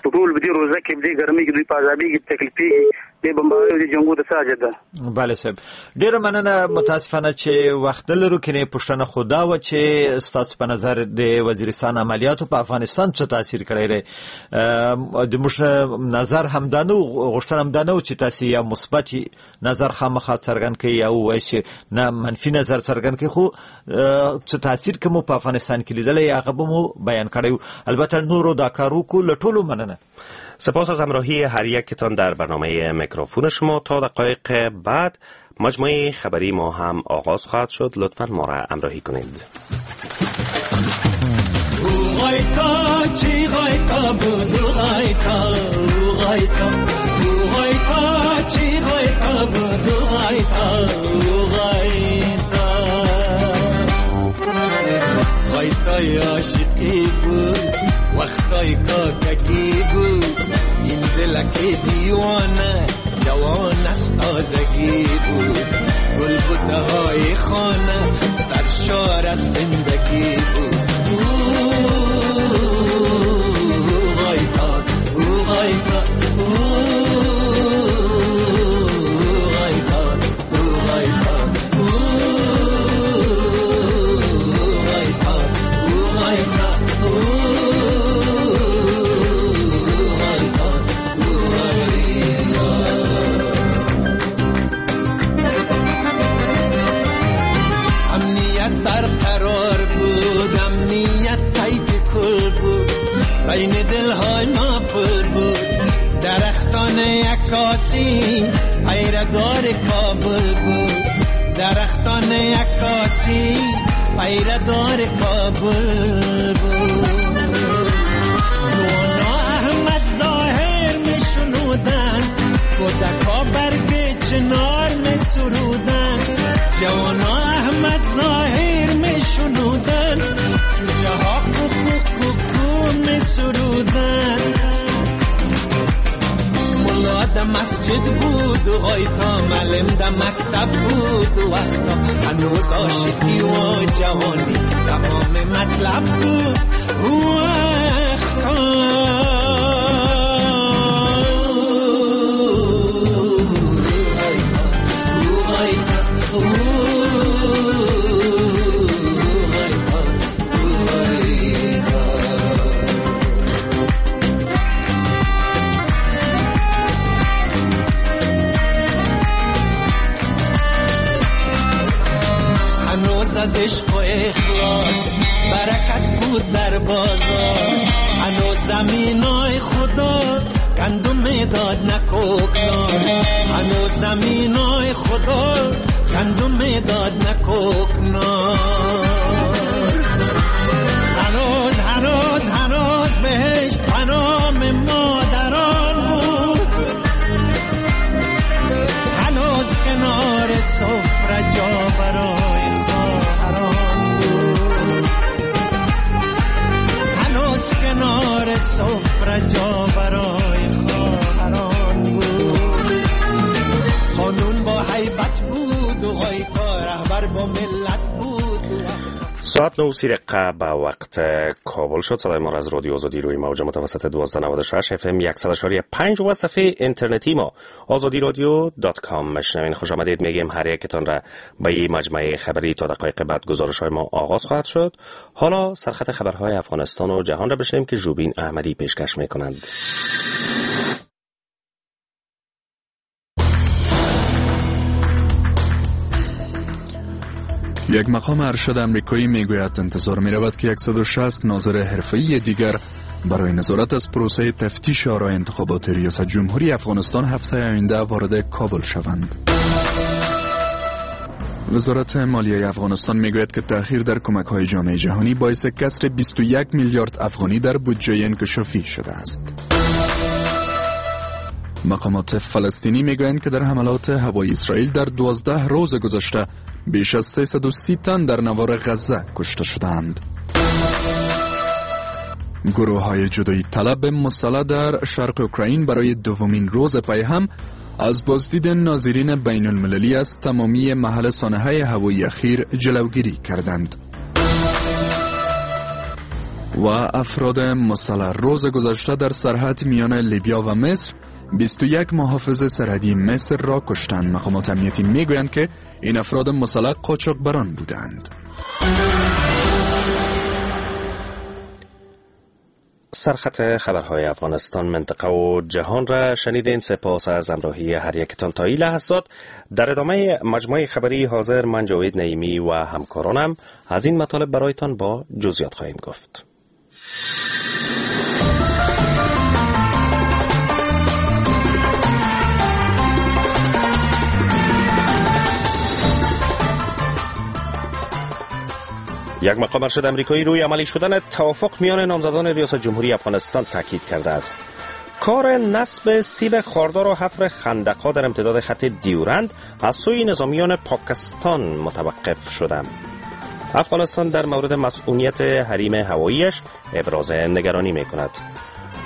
په ټول په دې روژه کې، په دې ګرمۍ کې دوی په عذابېږي، تکلیفېږي، دې بمباریو دې جنګو ته څه حاجت ده؟ بله صاحب، ډېره مننه. متاسفانه چې وخت نه لرو، کنې پوښتنه خو دا وه چې ستاسو په نظر د وزیرستان عملیاتو په افغانستان څه تاثیر کړی دی. د موږ نظر هم دا نه و، غوښتنه هم دا نه و چې تاسې یا مثبت نظر خامخا څرګند کړئ یا ووایئ چې نه منفي نظر څرګند کړئ، خو څه تاثیر که مو په افغانستان کې لیدلی هغه به مو بیان کړی و. البته نورو دا کار وکړو، له ټولو مننه. سپاس از همراهی هر یکتان در برنامه میکروفون شما. تا دقایق بعد مجموعه خبری ما هم آغاز خواهد شد، لطفاً ما را همراهی کنید. وقتای کاکگی بود این دلک دیوانه، جوان از تازگی بود، گل بوته های خانه سرشار از زندگی بود. او غایتا، او غایتا، او غایتا، او غایتا، او غایتا، او غایتا، او برقرار بود، امنیت تایید کل بود، بین دلهای ما پل بود، درختان عکاسی پیردار کابل بود، درختان عکاسی پیردار کابل بود. جوانا احمد ظاهر می شنودن، کودکا برگ چنار می سرودن، جوانا احمد ظاهر می شنودن، جوجه ها کو کو کو کو می سرودن. ملا د مسجد بود و غایتا معلم د مکتب بود و وقتا هنوز عاشقی و جوانی تمام مطلب بود. وقتا از عشق و اخلاص برکت بود در بازار، هنوز زمینای خدا گندم میداد نه کوکنار، هنوز زمینای خدا گندم میداد نه کوکنار. هنوز هنوز هنوز بهش پنام مادران بود، هنوز کنار سفره جا برای خواهران بود، هنوز کنار سفره جا برای خواهران بود. قانون با هیبت بود و غایتا رهبر با ملت بود. ساعت 9:30 به وقت کابل شد. صدای ما از رادیو آزادی روی موج متوسط 1296 اف ام 100.5 و صفحه اینترنتی ما azadiradio.com میشنوین. خوش آمدید میگیم هر یکتان را به این مجموعه خبری. تا دقایق بعد گزارش های ما آغاز خواهد شد. حالا سرخط خبرهای افغانستان و جهان را بشنویم که ژوبین احمدی پیشکش میکنند. یک مقام ارشد امریکایی میگوید انتظار میرود که 160 ناظر حرفه‌ای دیگر برای نظارت از پروسه تفتیش آرای انتخابات ریاست جمهوری افغانستان هفته آینده وارد کابل شوند. وزارت مالیه افغانستان میگوید که تأخیر در کمک‌های جامعه جهانی باعث کسر 21 میلیارد افغانی در بودجه انکشافی شده است. مقامات فلسطینی میگویند که در حملات هوایی اسرائیل در 12 روز گذشته بیش از 330 تن در نوار غزه کشته شدند. گروه های جدایی طلب مسلح در شرق اوکراین برای دومین روز پی هم از بازدید ناظرین بین المللی از تمامی محل سانحه هوایی اخیر جلوگیری کردند. و افراد مسلح روز گذشته در سرحد میان لیبیا و مصر 21 محافظ سرحدی مصر را کشتند. مقامات امنیتی میگویند که این افراد مسلح قاچاقبران بودند. سرخط خبرهای افغانستان، منطقه و جهان را شنیدین. سپاس از همراهی هر یکتان تا این لحظات. در ادامه مجموعه خبری حاضر، من جاوید نعیمی و همکارانم از این مطالب برایتان با جزئیات خواهیم گفت. یک مقام ارشد امریکایی روی عملی شدن توافق میان نامزدان ریاست جمهوری افغانستان تاکید کرده است. کار نصب سیب خاردار و حفر خندق‌ها در امتداد خط دیورند از سوی نظامیان پاکستان متوقف شده. افغانستان در مورد مسئولیت حریم هواییش ابراز نگرانی می‌کند.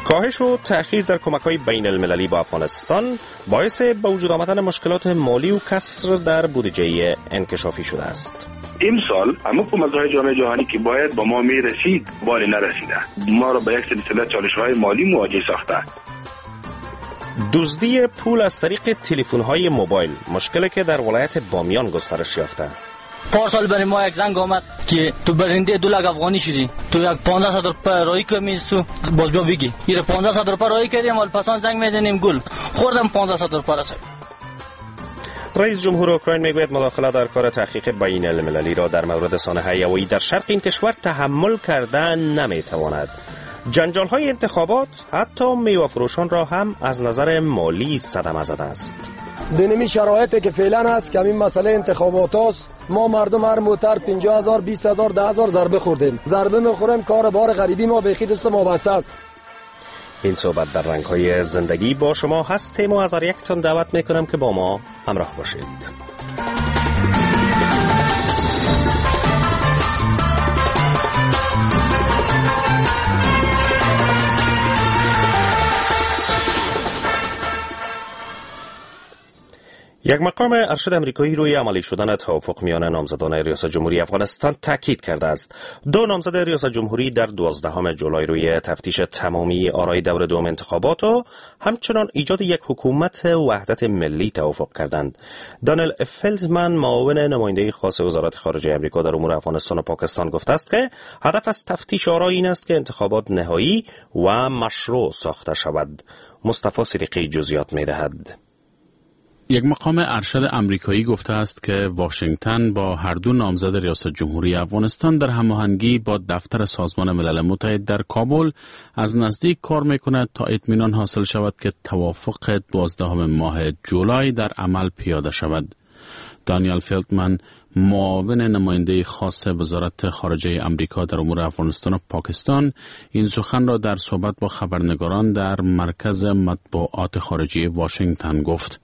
کاهش و تأخیر در کمک‌های بین المللی با افغانستان باعث به وجود آمدن مشکلات مالی و کسر در بودجه انکشافی شده است. امسال اما کمک‌های جامعه جهانی که باید با ما میرسید باری نرسیده، ما را به یک سلسله چالش‌های مالی مواجه ساخته. دزدی پول از طریق تلفن‌های موبایل، مشکلی که در ولایت بامیان گسترش یافته. پارسال برای ما یک زنگ آمد که تو برنده 2 لک افغانی شدی، تو یک 1500 روپیه رایی کمی تو باز بیا بگی. این 1500 روپیه رایی کردیم، حال پسان زنگ میزنیم گل خوردم 1500 روپیه رسید. رئیس جمهور اوکراین میگوید مداخله در کار تحقیق بین المللی را در مورد سانحه هوایی در شرق این کشور تحمل کردن نمیتواند. جنجال های انتخابات حتی میوه فروشان را هم از نظر مالی صدمه زده است. دینمی شرایطی که فعلا هست که همین مسئله انتخابات است، ما مردم هر موتر 50000 20000 10000 ضربه خوردیم، ضربه میخوریم، کار بار غریبی ما به خود دست ما بسته است. این صحبت در رنگ های زندگی با شما هستیم و از هر یکتان دعوت میکنم که با ما همراه باشید. یک مقام ارشد امریکایی روی عملی شدن توافق میان نامزدان ریاست جمهوری افغانستان تاکید کرده است. دو نامزد ریاست جمهوری در 12 جولای روی تفتیش تمامی آرای دور دوم انتخابات و همچنان ایجاد یک حکومت وحدت ملی توافق کردند. دانیل فلدمن، معاون نماینده خاص وزارت خارجه امریکا در امور افغانستان و پاکستان، گفته است که هدف از تفتیش آرای این است که انتخابات نهایی و مشروع ساخته شود. مصطفی صدیقی جزئیات می‌دهد. یک مقام ارشد امریکایی گفته است که واشنگتن با هر دو نامزد ریاست جمهوری افغانستان در هماهنگی با دفتر سازمان ملل متحد در کابل از نزدیک کار میکند تا اطمینان حاصل شود که توافق 12 ماه جولای در عمل پیاده شود. دانیال فیلدمن، معاون نماینده خاص وزارت خارجه امریکا در امور افغانستان و پاکستان، این سخن را در صحبت با خبرنگاران در مرکز مطبوعات خارجی واشنگتن گفت.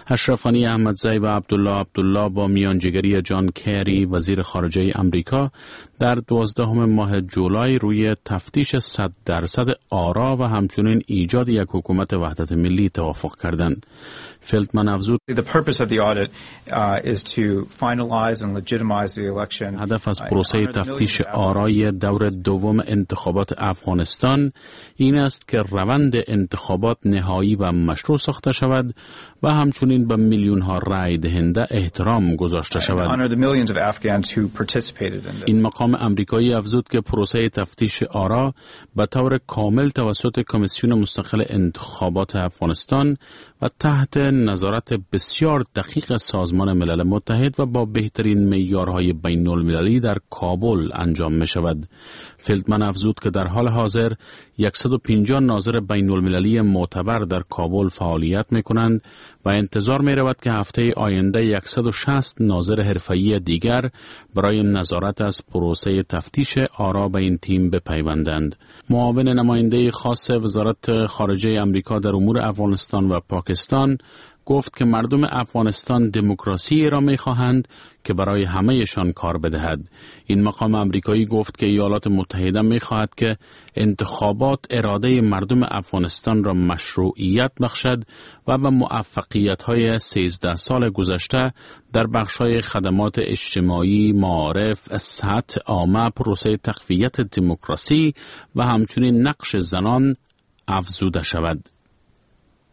اشرف غنی احمدزی و عبدالله عبدالله با میانجیگری جان کری، وزیر خارجه امریکا، در 12 ماه جولای روی تفتیش 100% آرا و همچنین ایجاد یک حکومت وحدت ملی توافق کردند. فیلدمن افزود: هدف از پروسه تفتیش آرای دور دوم انتخابات افغانستان این است که روند انتخابات نهایی و مشروع ساخته شود و همچنین به میلیون ها رای دهنده احترام گذاشته شود. این مقام امریکایی افزود که پروسه تفتیش آرا به طور کامل توسط کمیسیون مستقل انتخابات افغانستان و تحت نظارت بسیار دقیق سازمان ملل متحد و با بهترین معیارهای بین المللی در کابل انجام می شود. فیلدمن افزود که در حال حاضر 150 ناظر بین المللی معتبر در کابل فعالیت می کنند و انتظار می رود که هفته آینده 160 ناظر حرفه‌ای دیگر برای نظارت از پروسه تفتیش آرا به این تیم بپیوندند. معاون نماینده خاص وزارت خارجه امریکا در امور افغانستان و پاکستان گفت که مردم افغانستان دموکراسی را می‌خواهند که برای همه‌شان کار بدهد. این مقام امریکایی گفت که ایالات متحده می‌خواهد که انتخابات اراده مردم افغانستان را مشروعیت بخشد و به موفقیت‌های 13 سال گذشته در بخش‌های خدمات اجتماعی، معارف، صحت عامه، پروسه تقویت دموکراسی و همچنین نقش زنان افزوده شود.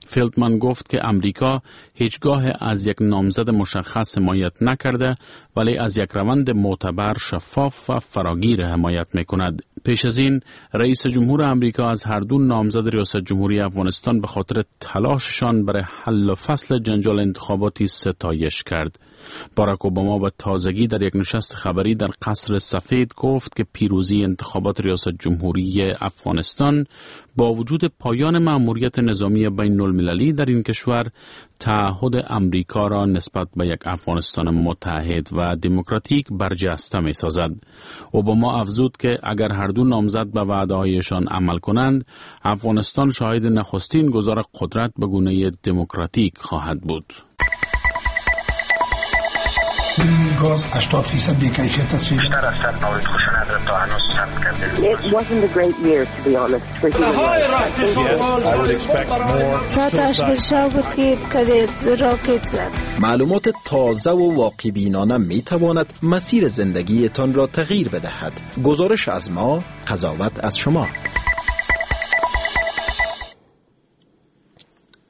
فیلدمن گفت که امریکا هیچگاه از یک نامزد مشخص حمایت نکرده، ولی از یک روند معتبر، شفاف و فراگیر حمایت میکند. پیش از این رئیس جمهور امریکا از هر دو نامزد ریاست جمهوری افغانستان به خاطر تلاششان برای حل و فصل جنجال انتخاباتی ستایش کرد. باراک اوباما به تازگی در یک نشست خبری در قصر سفید گفت که پیروزی انتخابات ریاست جمهوری افغانستان با وجود پایان مأموریت نظامی بین المللی در این کشور تعهد امریکا را نسبت به یک افغانستان متحد و دموکراتیک برجسته می سازد. اوباما افزود که اگر هر دو نامزد به وعده‌هایشان عمل کنند، افغانستان شاهد نخستین گذار قدرت به گونه دموکراتیک خواهد بود. گاز 80% بی‌کیفیت است. بیشتر از 100 مورد خشونت را تا هنوز ثبت کرده. It wasn't a great year to be honest for human rights. ساعت 8 بود که راکت زد. معلومات تازه و واقع بینانه می تواند مسیر زندگیتان را تغییر بدهد. گزارش از ما، قضاوت از شما.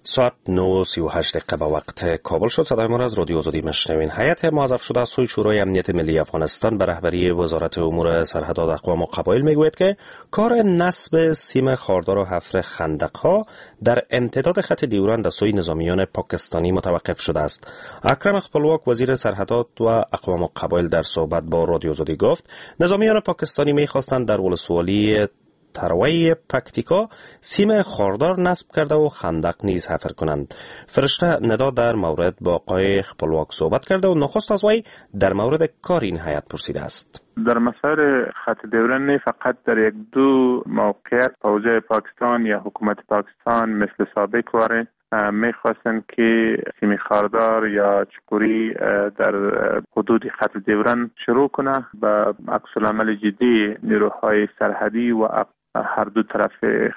ساعت 9:38 به وقت کابل شد. صدای ما را از رادیو آزادی میشنوین. هیئت موظف شده از سوی شورای امنیت ملی افغانستان به رهبری وزارت امور سرحدات، اقوام و قبایل میگوید که کار نصب سیم خاردار و حفر خندق‌ها در امتداد خط دیورند از سوی نظامیان پاکستانی متوقف شده است. اکرم خپلواک، وزیر سرحدات و اقوام و قبایل، در صحبت با رادیو آزادی گفت نظامیان پاکستانی میخواستند در ولسوالی تروی پکتیکا سیم خاردار نصب کرده و خندق نیز حفر کنند. فرشته ندا در مورد با آقای خپلواک صحبت کرده و نخست از وی در مورد کار این هیئت پرسیده است. در مسار خط دیورند نه فقط در یک دو موقعیت فوج پاکستان یا حکومت پاکستان مثل سابق واره میخواستند که سیم خاردار یا چکوری در حدود خط دیورند شروع کنه. به عکس العمل جدی نیروهای سرحدی و هر دو طرف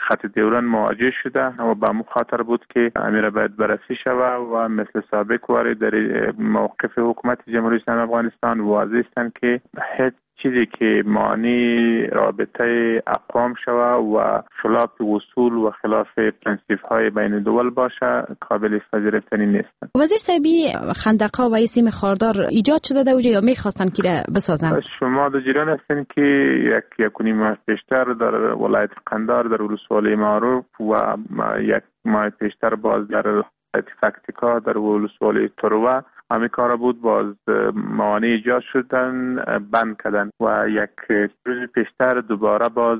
خط دیورند مواجه شده و به مخاطر بود که امیر باید بررسی شود و مثل سابق واری در موقف حکومت جمهوری اسلامی افغانستان واضح است که هیچ چیزی که معنی رابطه اقوام شوه و خلاف اصول و خلاف پرنسیپ های بین دول باشه قابل پذیرفتنی نیست. وزیر صاحبی، خندق‌ها و سیم خاردار ایجاد شده در اوجه یا میخواستن که بسازن؟ شما در جریان هستین که یک و نیم ماه پیشتر در ولایت قندار در ولسوالی معروف و یک ماه پیشتر باز در پکتیکا در ولسوالی تروه همی کارا بود، باز موانع ایجاد شدن، بند کردن و یک روز پیشتر دوباره باز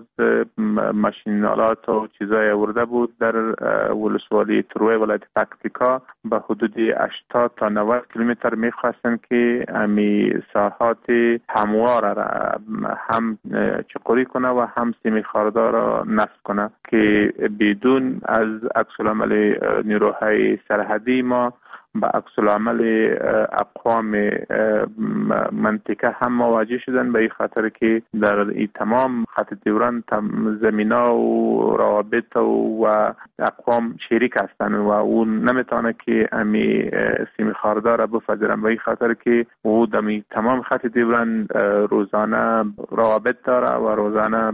ماشین آلات و چیزای آورده بود در ولسوالی تروه ولایت پکتیکا به حدود 80 تا 90 کیلومتر میخواستن که همی ساحات هموار را هم چقوری کنه و هم سیم خاردار را نصب کنه که بدون از عکس العمل نیروهای سرحدی ما با عکس العمل اقوام منطقه هم مواجه شدن، به این خاطر که در این تمام خط دیوران زمینا و روابط و اقوام شریک هستند و او نمیتونه که امی سیم خاردار را بپذیرن، به این خاطر که او در تمام خط دیوران روزانه روابط داره و روزانه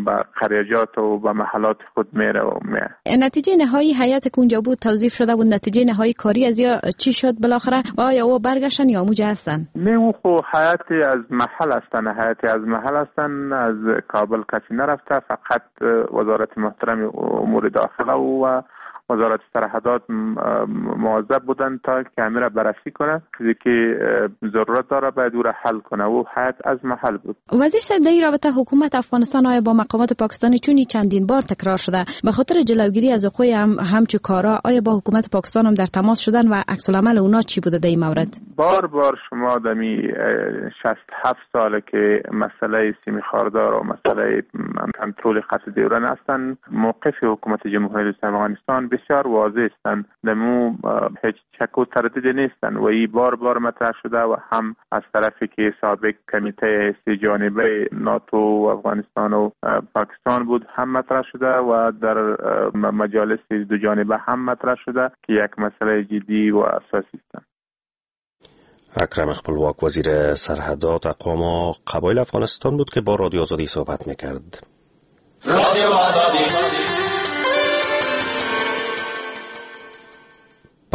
به قریجات و به محلات خود میره و میه. نتیجه نهایی هیئت که اونجا بود توظیف شده بود، نتیجه نهایی کاری از یا چی شد بالاخره؟ آیا او برگشتن یا موجه هستن؟ نه، او خو هیئت از محل هستن، هیئت از محل هستن، از کابل کسی نرفته، فقط وزارت محترم امور داخله و وزارت سرحدات مواظب بودن تا که امیر بررسی کنه، چیزی که ضرورت داره باید او را حل کنه و هیئت از محل بود. وزیر صاحب، در این رابطه حکومت افغانستان آیا با مقامات پاکستانی چون چندین بار تکرار شده به خاطر جلوگیری از وقوع همچو کارا، آیا با حکومت پاکستان هم در تماس شدن و عکس العمل اونا چی بوده در این مورد؟ بار بار شما دمی 67 ساله که مسئله سیم خاردار و مسئله کنترل خط دیوران هستند، موقف حکومت جمهوری اسلامی افغانستان بسیار واضح هستند، دمو هیچ شک و تردید نیستند و این بار بار مطرح شده و هم از طرفی که سابق کمیته سه جانبه ناتو و افغانستان و پاکستان بود هم مطرح شده و در مجالس دو جانبه هم مطرح شده که یک مسئله جدی و اساسی است. اکرم خپلواک، وزیر سرحدات اقوام و قبایل افغانستان بود که با رادیو آزادی صحبت میکرد. رادیو آزادی.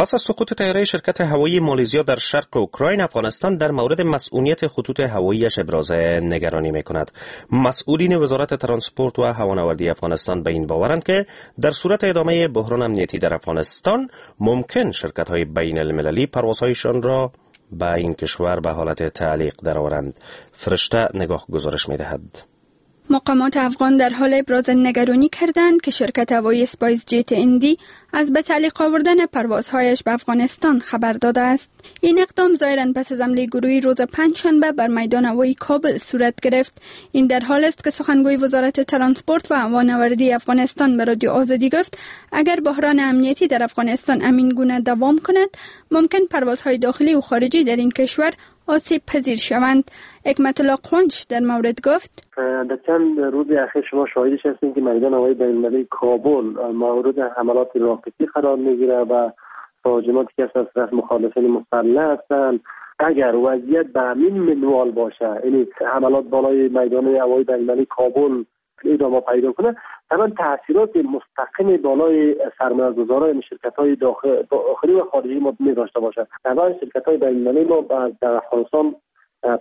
پس از سقوط طیاره شرکت هوایی مالزیا در شرق اوکراین، افغانستان در مورد مسئولیت خطوط هواییش ابراز نگرانی میکند. مسئولین وزارت ترانسپورت و هوانوردی افغانستان به این باورند که در صورت ادامه بحران امنیتی در افغانستان ممکن شرکت‌های بین المللی پروازهایشان را به این کشور به حالت تعلیق درآورند. فرشته نگاه گزارش می‌دهد. مقامات افغان در حال ابراز نگرانی کردند که شرکت هوایی اسپایس جت اندی از به تعلیق آوردن پروازهایش به افغانستان خبر داده است. این اقدام ظاهراً پس از حمله گروهی روز پنجشنبه بر میدان هوایی کابل صورت گرفت. این در حال است که سخنگوی وزارت ترانسپورت و هوانوردی افغانستان به رادیو آزادی گفت اگر بحران امنیتی در افغانستان همین گونه دوام کند، ممکن پروازهای داخلی و خارجی در این کشور آسیب پذیر شوند. حکمت الله قوانچ در مورد گفت: در چند روز اخیر شما شاهدش هستین که میدان هوایی بین‌المللی کابل مورد حملات راکتی قرار میگیره و تهاجماتی که از طرف مخالفین مسلح هستند. اگر وضعیت به همین منوال باشه، یعنی حملات بالای میدان هوایی بین‌المللی کابل ادامه پیدا کنه، طبعا تاثیرات مستقیم بالای سرمایه‌گذاران شرکت‌های داخلی و خارجی ما می داشته باشه. طبعا شرکت‌های بین‌المللی ما در افغانستان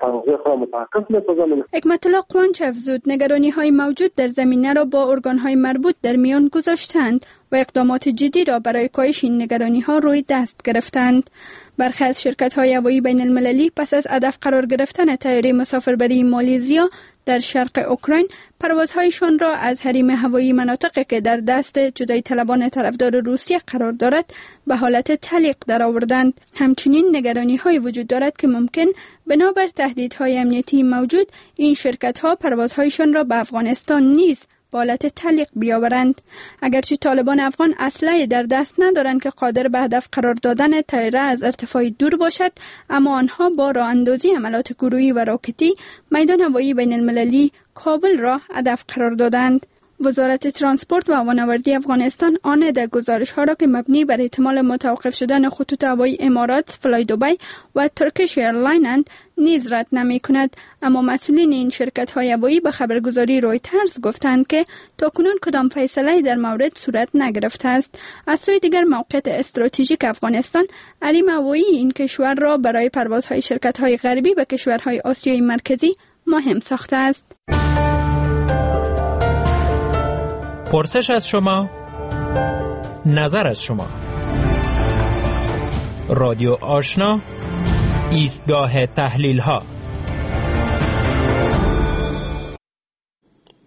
پروازهای خود را متوقف می‌سازند. حکمت الله قوانچ افزود نگرانی‌های موجود در زمینه را با ارگان‌های مربوط در میان گذاشتند و اقدامات جدی را برای کاهش این نگرانی‌ها روی دست گرفتند. برخی از شرکت‌های هوایی بین‌المللی پس از هدف قرار گرفتن طیاره مسافربری مالزیا در شرق اوکراین پروازهایشان را از حریم هوایی مناطقی که در دست جدای طلبان طرفدار روسیه قرار دارد به حالت تعلیق درآوردند. همچنین نگرانی‌های وجود دارد که ممکن بنابر تهدیدهای امنیتی موجود این شرکت‌ها پروازهایشان را به افغانستان نیز به حالت تعلیق بیاورند. اگرچه طالبان افغان اسلحه در دست ندارند که قادر به هدف قرار دادن طیاره از ارتفاع دور باشد، اما آنها با راه اندازی عملات گروهی و راکتی میدان هوایی بین المللی کابل را هدف قرار دادند. وزارت ترانسپورت و هوانوردی افغانستان آن عده گزارش ها را که مبنی بر احتمال متوقف شدن خطوط هوایی امارات، فلای دبی و ترکیش ایرلاین نیز رد نمی کند، اما مسئولین این شرکت های هوایی به خبرگزاری رویترز گفتند که تاکنون کدام فیصله در مورد صورت نگرفته است. از سوی دیگر موقعیت استراتژیک افغانستان حریم هوایی این کشور را برای پروازهای شرکت های غربی به کشورهای آسیای مرکزی مهم ساخته است. پرسش از شما، نظر از شما. رادیو آشنا، ایستگاه تحلیل ها.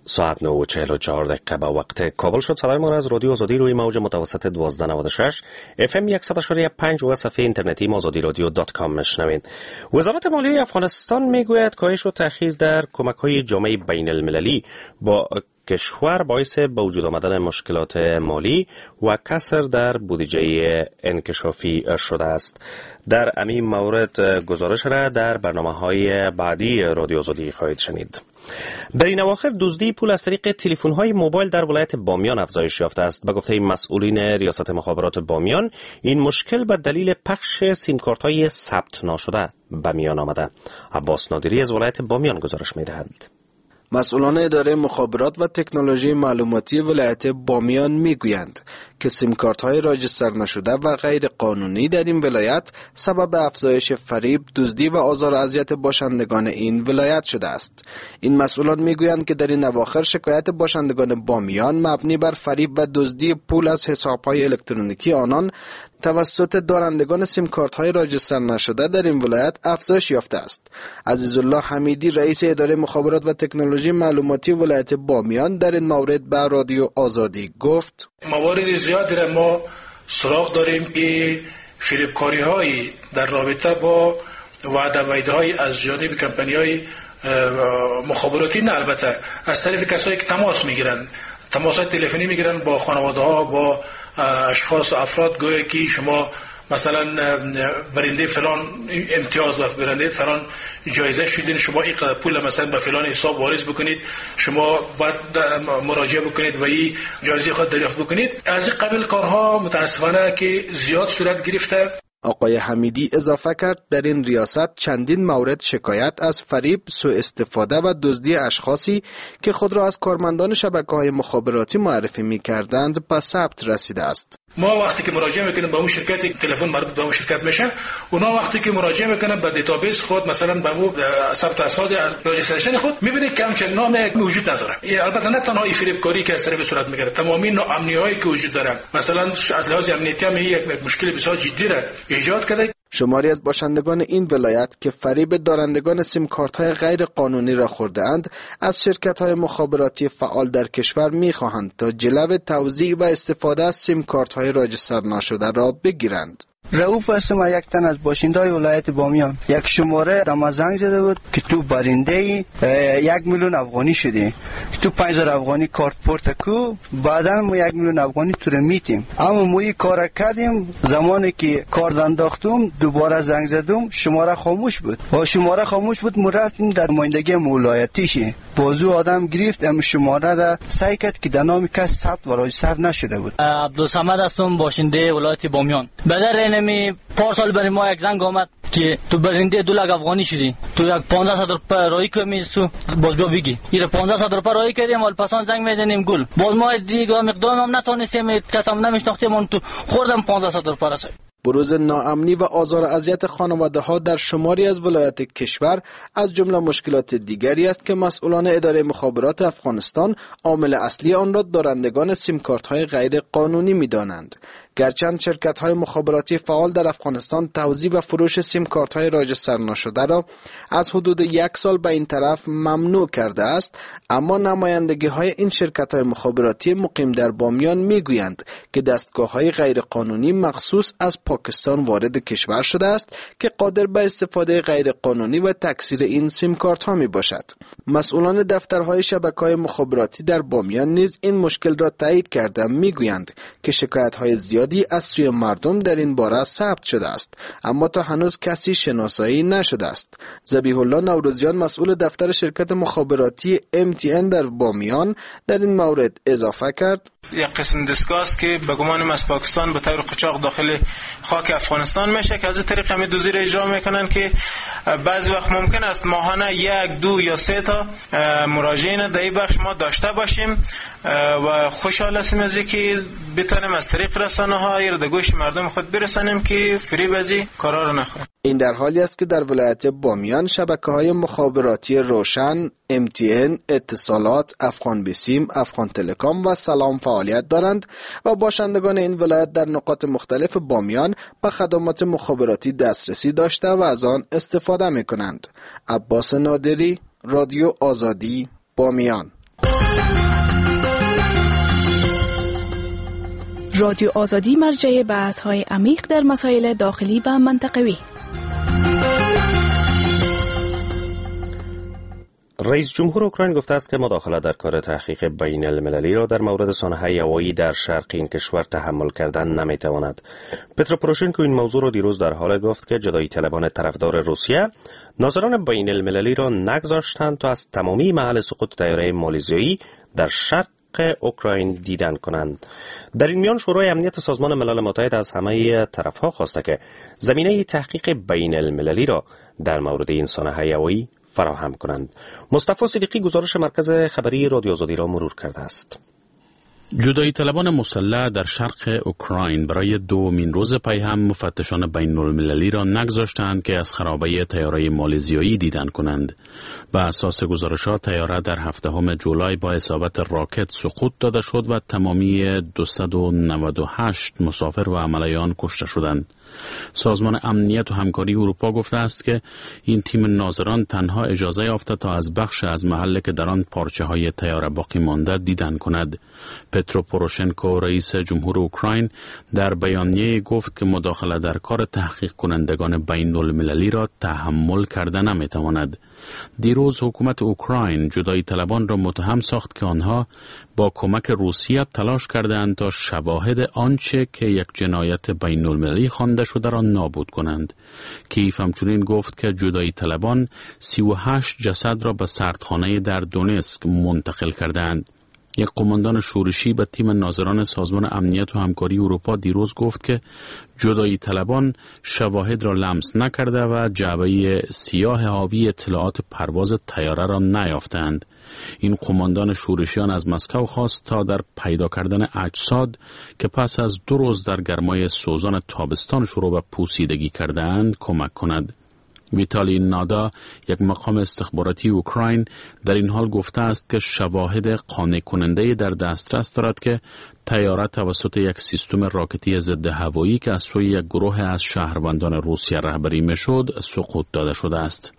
ساعت 9:44 به وقت کابل شد. صدای ما را از رادیو آزادی روی موج متوسط 1296 اف ام 100.5 و صفحه اینترنتی azadi-radio.com میشنوید. وزارت مالیه افغانستان میگوید کاهش و تأخیر در کمک‌های جامعه بین المللی با کشور باعث به وجود آمدن مشکلات مالی و کسر در بودجه انکشافی شده است. در همین مورد گزارش را در برنامه‌های بعدی رادیو آزادی خواهید شنید. در این اواخر دزدی پول از طریق تلفن‌های موبایل در ولایت بامیان افزایش یافته است. به گفته مسئولین ریاست مخابرات بامیان، این مشکل به دلیل پخش سیمکارت‌های ثبت ناشده به میان آمده. عباس نادری از ولایت بامیان گزارش می‌دهد. مسئولان اداره مخابرات و تکنولوژی معلوماتی ولایت بامیان میگویند که سیمکارت های راجستر نشده و غیر قانونی در این ولایت سبب افزایش فریب، دزدی و آزار و اذیت باشندگان این ولایت شده است. این مسئولان میگویند که در این اواخر شکایت باشندگان بامیان مبنی بر فریب و دزدی پول از حساب‌های الکترونیکی آنان توسط دارندگان سیمکارت های راجستر نشده در این ولایت افزایش یافته است. عزیزالله حمیدی، رئیس اداره مخابرات و تکنولوژی معلوماتی ولایت بامیان، در این مورد به رادیو آزادی گفت: موارد زیادی را ما سراغ داریم که فریبکاری های در رابطه با وعده وعیدهای از جانب کمپانی های مخابراتی، نه البته از طرف کسایی که تماس میگیرند، تماس های تلفنی میگیرن با خانواده ها، با اشخاص و افراد، گویا که شما مثلا برنده فلان امتیاز و برنده فلان جایزه شدین، شما این پول مثلا به فلان حساب واریز بکنید، شما باید مراجعه بکنید و این جایزه خود دریافت بکنید. از این قبیل کارها متاسفانه که زیاد صورت گرفته. آقای حمیدی اضافه کرد در این ریاست چندین مورد شکایت از فریب، سوء استفاده و دزدی اشخاصی که خود را از کارمندان شبکه‌های مخابراتی معرفی می‌کردند به ثبت رسیده است. ما وقتی که مراجعه میکنیم به اون شرکت، تلفن مربوط به اون شرکت میشه، اونا وقتی که مراجعه میکنن به database خود، مثلا به اون ثبت اسناد registration خود، میبینید که همچین نام وجود نداره. البته نه تنها این فریبکاری که از طرف صورت میگیره، تمامی ناامنی‌هایی که وجود داره، مثلا از لحاظ امنیتی هم یک مشکل بسیار جدی را ایجاد کرده. شماری از باشندگان این ولایت که فریب دارندگان سیم کارت های غیر قانونی را خورده اند، از شرکت های مخابراتی فعال در کشور می خواهند تا جلو توزیع و استفاده از سیم کارت های راجستر ناشده را بگیرند. رؤوف هستم، یک تن از باشنده‌های ولایت بامیان. یک شماره دم زنگ زده بود که تو برنده 1 میلیون افغانی شدی، تو 5000 افغانی کارت پورت کو، بعدا ما 1 میلیون افغانی تو رو میتیم. اما ما این کار کردیم، زمانی که کارت انداختم دوباره زنگ زدم، شماره خاموش بود. و شماره خاموش بود، ما رفتیم در نمایندگی ولایتیش، بازو آدم گرفت، اما شماره را سعی کرد که در نام کس ثبت و راجستر نشده بود. عبدالصمد هستم، باشنده ولایت بامیان. بدر نمی پارسال برای ما یک زنگ آمد که تو برنده 2 لک افغانی شدی، تو یک 1500 روپیه رای کمی سو باز بیا بگی. این 1500 روپیه رای کردیم، حال پسان زنگ میزنیم گل. باز ما دیگه مقدام هم نتونستیم، کس هم نمیشناختیم، تو خوردم 1500 روپیه رسید. بروز ناامنی و آزار و اذیت خانواده ها در شماری از ولایات کشور از جمله مشکلات دیگری است که مسئولان اداره مخابرات افغانستان عامل اصلی آن را دارندگان سیم کارت های غیر قانونی می دانند. گرچند شرکت های مخابراتی فعال در افغانستان توزیع و فروش سیم کارت های راجستر ناشده را از حدود 1 سال به این طرف ممنوع کرده است، اما نمایندگی های این شرکت های مخابراتی مقیم در بامیان می گویند که دستگاه های غیر قانونی مخصوص از پاکستان وارد کشور شده است که قادر به استفاده غیر قانونی و تکثیر این سیم کارت ها می باشد. مسئولان دفترهای شبکه‌های مخابراتی در بامیان نیز این مشکل را تایید کرده می گویند که شکایت های زیادی از سوی مردم در این باره ثبت شده است، اما تا هنوز کسی شناسایی نشده است. ذبیح الله نوروزیان، مسئول دفتر شرکت مخابراتی MTN در بامیان، در این مورد اضافه کرد: یک قسم دستگاه است که به گمانم از پاکستان به طور قاچاق داخل خاک افغانستان میشه که از این طریق همین دزدی را اجرا میکنن که بعضی وقت ممکن است ماهانه 1، 2 یا 3 تا مراجعین در این بخش ما داشته باشیم و خوشحال هستیم از اینکه بتونیم از طریق رسانه ها در گوش مردم خود برسانیم که فریب از این کارا رو نخورن. این در حالی است که در ولایت بامیان شبکه‌های مخابراتی روشن، MTN، اتصالات، افغان بیسیم، افغان تلکام و سلام فعالیت دارند و باشندگان این ولایت در نقاط مختلف بامیان به خدمات مخابراتی دسترسی داشته و از آن استفاده می‌کنند. عباس نادری، رادیو آزادی، بامیان. رادیو آزادی مرجع بحث‌های عمیق در مسائل داخلی و منطقوی. رئیس جمهور اوکراین گفته است که مداخله در کار تحقیق بین المللی را در مورد سانحه هوایی در شرق این کشور تحمل کردن نمیتواند. پترو پروشنکو این موضوع را دیروز در حال گفت که جدایی طلبان طرفدار روسیه ناظران بین المللی را نگذاشتند تا از تمامی محل سقوط طیاره مالزیایی در شرق اوکراین دیدن کنند. در این میان شورای امنیت سازمان ملل متحد از همه طرفها خواسته که زمینه تحقیق بین المللی را در مورد این سانحه هوایی فراهم کنند. مصطفی صدیقی گزارش مرکز خبری رادیو آزادی را مرور کرده است. جدایی طلبان مسلح در شرق اوکراین برای دومین روز پی هم مفتشان بین المللی را نگذاشتند که از خرابه طیاره مالزیایی دیدن کنند. به اساس گزارشات طیاره در 7 جولای با اصابت راکت سقوط داده شد و تمامی 298 مسافر و عمله آن کشته شدند. سازمان امنیت و همکاری اروپا گفته است که این تیم ناظران تنها اجازه یافته تا از بخش از محل که در آن پارچه های طیاره باقی مانده دیدن کند. پترو پروشنکو رئیس جمهور اوکراین در بیانیه گفت که مداخله در کار تحقیق کنندگان بین المللی را تحمل کرده نمیتواند. دیروز حکومت اوکراین جدایی طلبان را متهم ساخت که آنها با کمک روسیه تلاش کردند تا شواهد آنچه که یک جنایت بین المللی خوانده شده را نابود کنند. کیف همچنین گفت که جدایی طلبان 38 جسد را به سردخانه در دونسک منتقل کردند. یک قماندان شورشی به تیم ناظران سازمان امنیت و همکاری اروپا دیروز گفت که جدایی طلبان شواهد را لمس نکرده و جعبه سیاه حاوی اطلاعات پرواز طیاره را نیافتند. این قماندان شورشیان از مسکو خواست تا در پیدا کردن اجساد که پس از 2 روز در گرمای سوزان تابستان شروع به پوسیدگی کردند کمک کند. ویتالی نادا، یک مقام استخباراتی اوکراین، در این حال گفته است که شواهد قانع کننده در دسترس دارد که طیاره توسط یک سیستم راکتی ضد هوایی که از سوی یک گروه از شهروندان روسیه رهبری میشد سقوط داده شده است.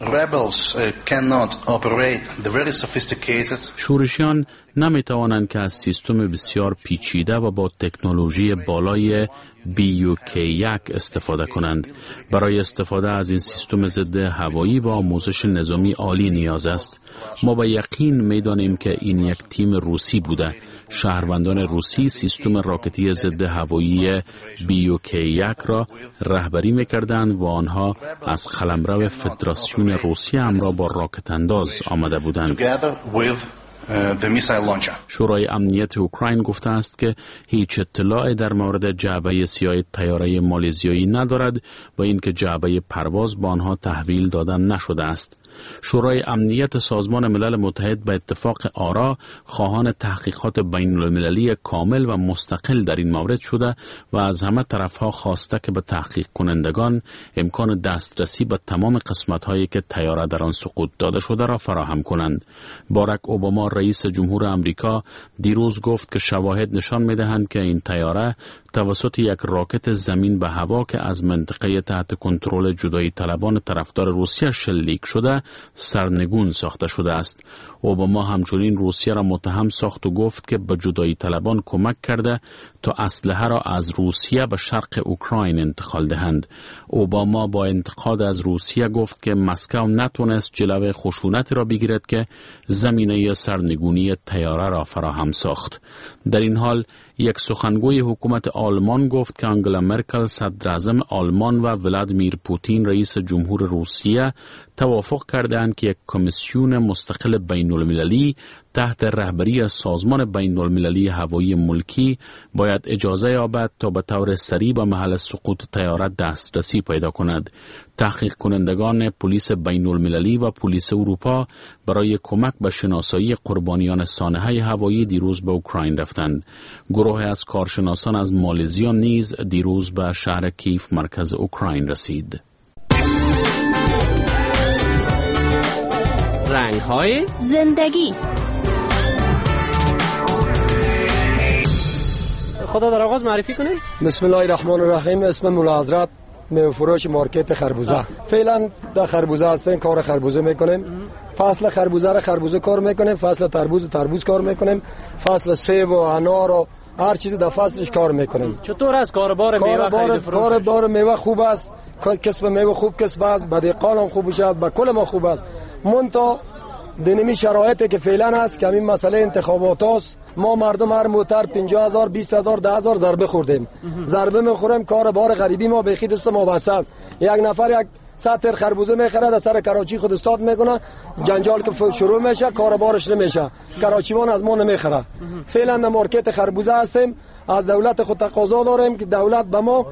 شورشیان نمی توانند که از سیستم بسیار پیچیده و با تکنولوژی بالای BUK-1 استفاده کنند. برای استفاده از این سیستم ضد هوایی با آموزش نظامی عالی نیاز است. ما به یقین می دانیم که این یک تیم روسی بوده. شهروندان روسی سیستم راکتی ضد هوایی BUK-1 را رهبری می‌کردند و آنها از قلمرو فدراسیون روسیه همراه با راکت انداز آمده بودند. شورای امنیت اوکراین گفته است که هیچ اطلاع در مورد جعبه سیاه طیاره مالزیایی ندارد و اینکه جعبه پرواز به آنها تحویل داده نشده است. شورای امنیت سازمان ملل متحد به اتفاق آرا خواهان تحقیقات بین المللی کامل و مستقل در این مورد شده و از همه طرفها خواسته که به تحقیق کنندگان امکان دسترسی به تمام قسمت‌هایی که طیاره در آن سقوط داده شده را فراهم کنند. باراک اوباما رئیس جمهور آمریکا دیروز گفت که شواهد نشان می‌دهند که این طیاره توسط یک راکت زمین به هوا که از منطقه تحت کنترل جدایی طلبان طرفدار روسیه شلیک شده سرنگون ساخته شده است. اوباما همچنین روسیه را متهم ساخت و گفت که به جدایی طلبان کمک کرده تا اسلحه را از روسیه به شرق اوکراین انتقال دهند. اوباما با انتقاد از روسیه گفت که مسکو نتونست جلو خشونت را بگیرد که زمینه سرنگونی طیاره را فراهم ساخت. در این حال یک سخنگوی حکومت آلمان گفت که آنگلا مرکل صدراعظم آلمان و ولادیمیر پوتین رئیس جمهور روسیه توافق کردند که یک کمیسیون مستقل بین المللی تحت رهبری سازمان بین المللی هوایی ملکی باید اجازه یابد تا به طور سریع به محل سقوط طیاره دسترسی پیدا کند. تحقیق کنندگان پلیس بین المللی و پلیس اروپا برای کمک به شناسایی قربانیان سانحه هوایی دیروز به اوکراین رفتند. گروه از کارشناسان از مالزیا نیز دیروز به شهر کیف مرکز اوکراین رسید. رنگ های زندگی. خدا در آغاز معرفی کنیم. بسم الله الرحمن الرحیم. اسم مولا حضرت، میوه فروش مارکت خربوزه. فعلا در خربوزه هستیم، کار خربوزه میکنیم. فصل خربوزه را خربوزه کار میکنیم، فصل تربوز تربوز کار میکنیم، فصل سیب و انار و هر چیزی در فصلش کار میکنیم. چطور است کاروبار میوه خرید فروش؟ کاروبار میوه خوب است، کسب میوه خوب کسب است، به دهقان هم خوب است، به کل ما خوب است. منتها دینمی شرایطی که فعلا است که همین مسئله انتخابات است، ما مردم هر موتر 50000 20000 10000 ضربه خوردیم. ضربه میخوریم، کار بار غریبی ما به خود دست ما بس است. یک نفر یک 100 خربوزه میخره، در سر کراچی خود استاد میکنه، جنجال که شروع میشه، کار بارش نمیشه، کراچیوان از ما نمیخره. فعلا در مارکت خربوزه هستیم. از دولت خود تقاضا داریم که دولت به ما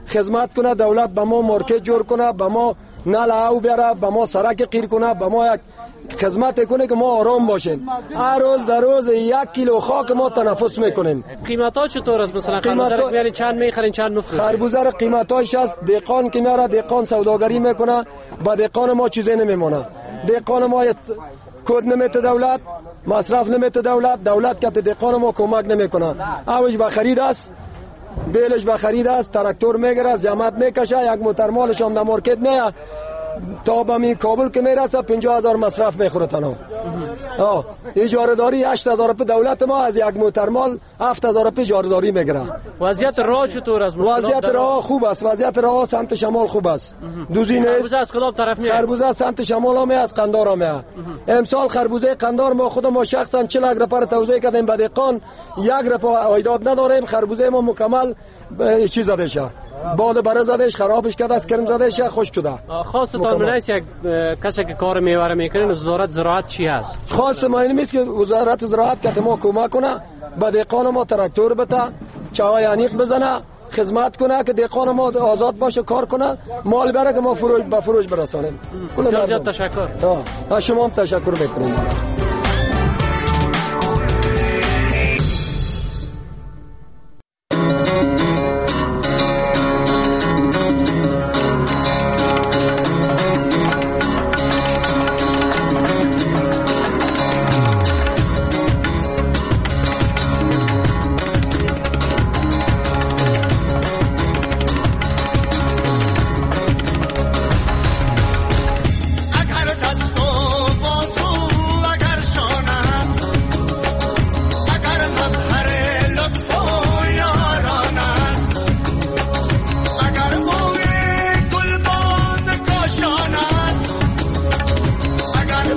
خدمت کنه، دولت به ما مارکت جور کنه، به ما نل او بیاره، به ما سرک قیر کنه، به ما یک خدمت کنه که ما آرام باشیم. هر روز در روز 1 کیلو خاک ما تنفس میکنیم. قیمت ها چطور است؟ مثلا خربوزه رو میارین چند میخرین چند میفروشین؟ خربوزه رو قیمتایش است، دهقان که میاره دهقان سوداگری میکنه، با دهقان ما چیزی نمیمونه. دهقان ما کد نمیته دولت، مصرف نمیته دولت، دولت که دهقان ما کمک نمیکنه. اوج به خرید است، بیلش به خرید است، تراکتور میگیره، زحمت میکشه، یک موتر مالش هم در مارکت میاد، تا به می کابل که میرسه 50000 مصرف میخوره تنها. اجاره داری 8000 روپیه دولت ما از یک موتر مال 7000 روپیه اجاره داری میگیره. وضعیت راه چطور است؟ وضعیت راه خوب است، وضعیت راه سمت شمال خوب است. دوزی نیست. خربوزه از کدام طرف میاد؟ خربوزه سمت شمال هم از قندار هم میاد. امسال خربوزه قندار ما خود ما شخصا 40 روپیه توزیع کردیم به دهقان، 1 روپیه عایدات نداریم. خربوزه ما مکمل چیز زده شه، باد بره زدهش، خرابش کرده است، کرم زدهش، خشک شده. خواستتان من است یک کسی که کار میوه میکنه، وزارت زراعت چی هست؟ خواست ما این نیست که وزارت زراعت که ما کمک کنه، به دهقان ما تراکتور بده، چای عمیق بزنه، خدمت کنه که دهقان ما آزاد باشه، کار کنه، مال بره که ما فروش به فروش برسانیم. بسیار زیاد تشکر. شما هم تشکر میکنیم. اگر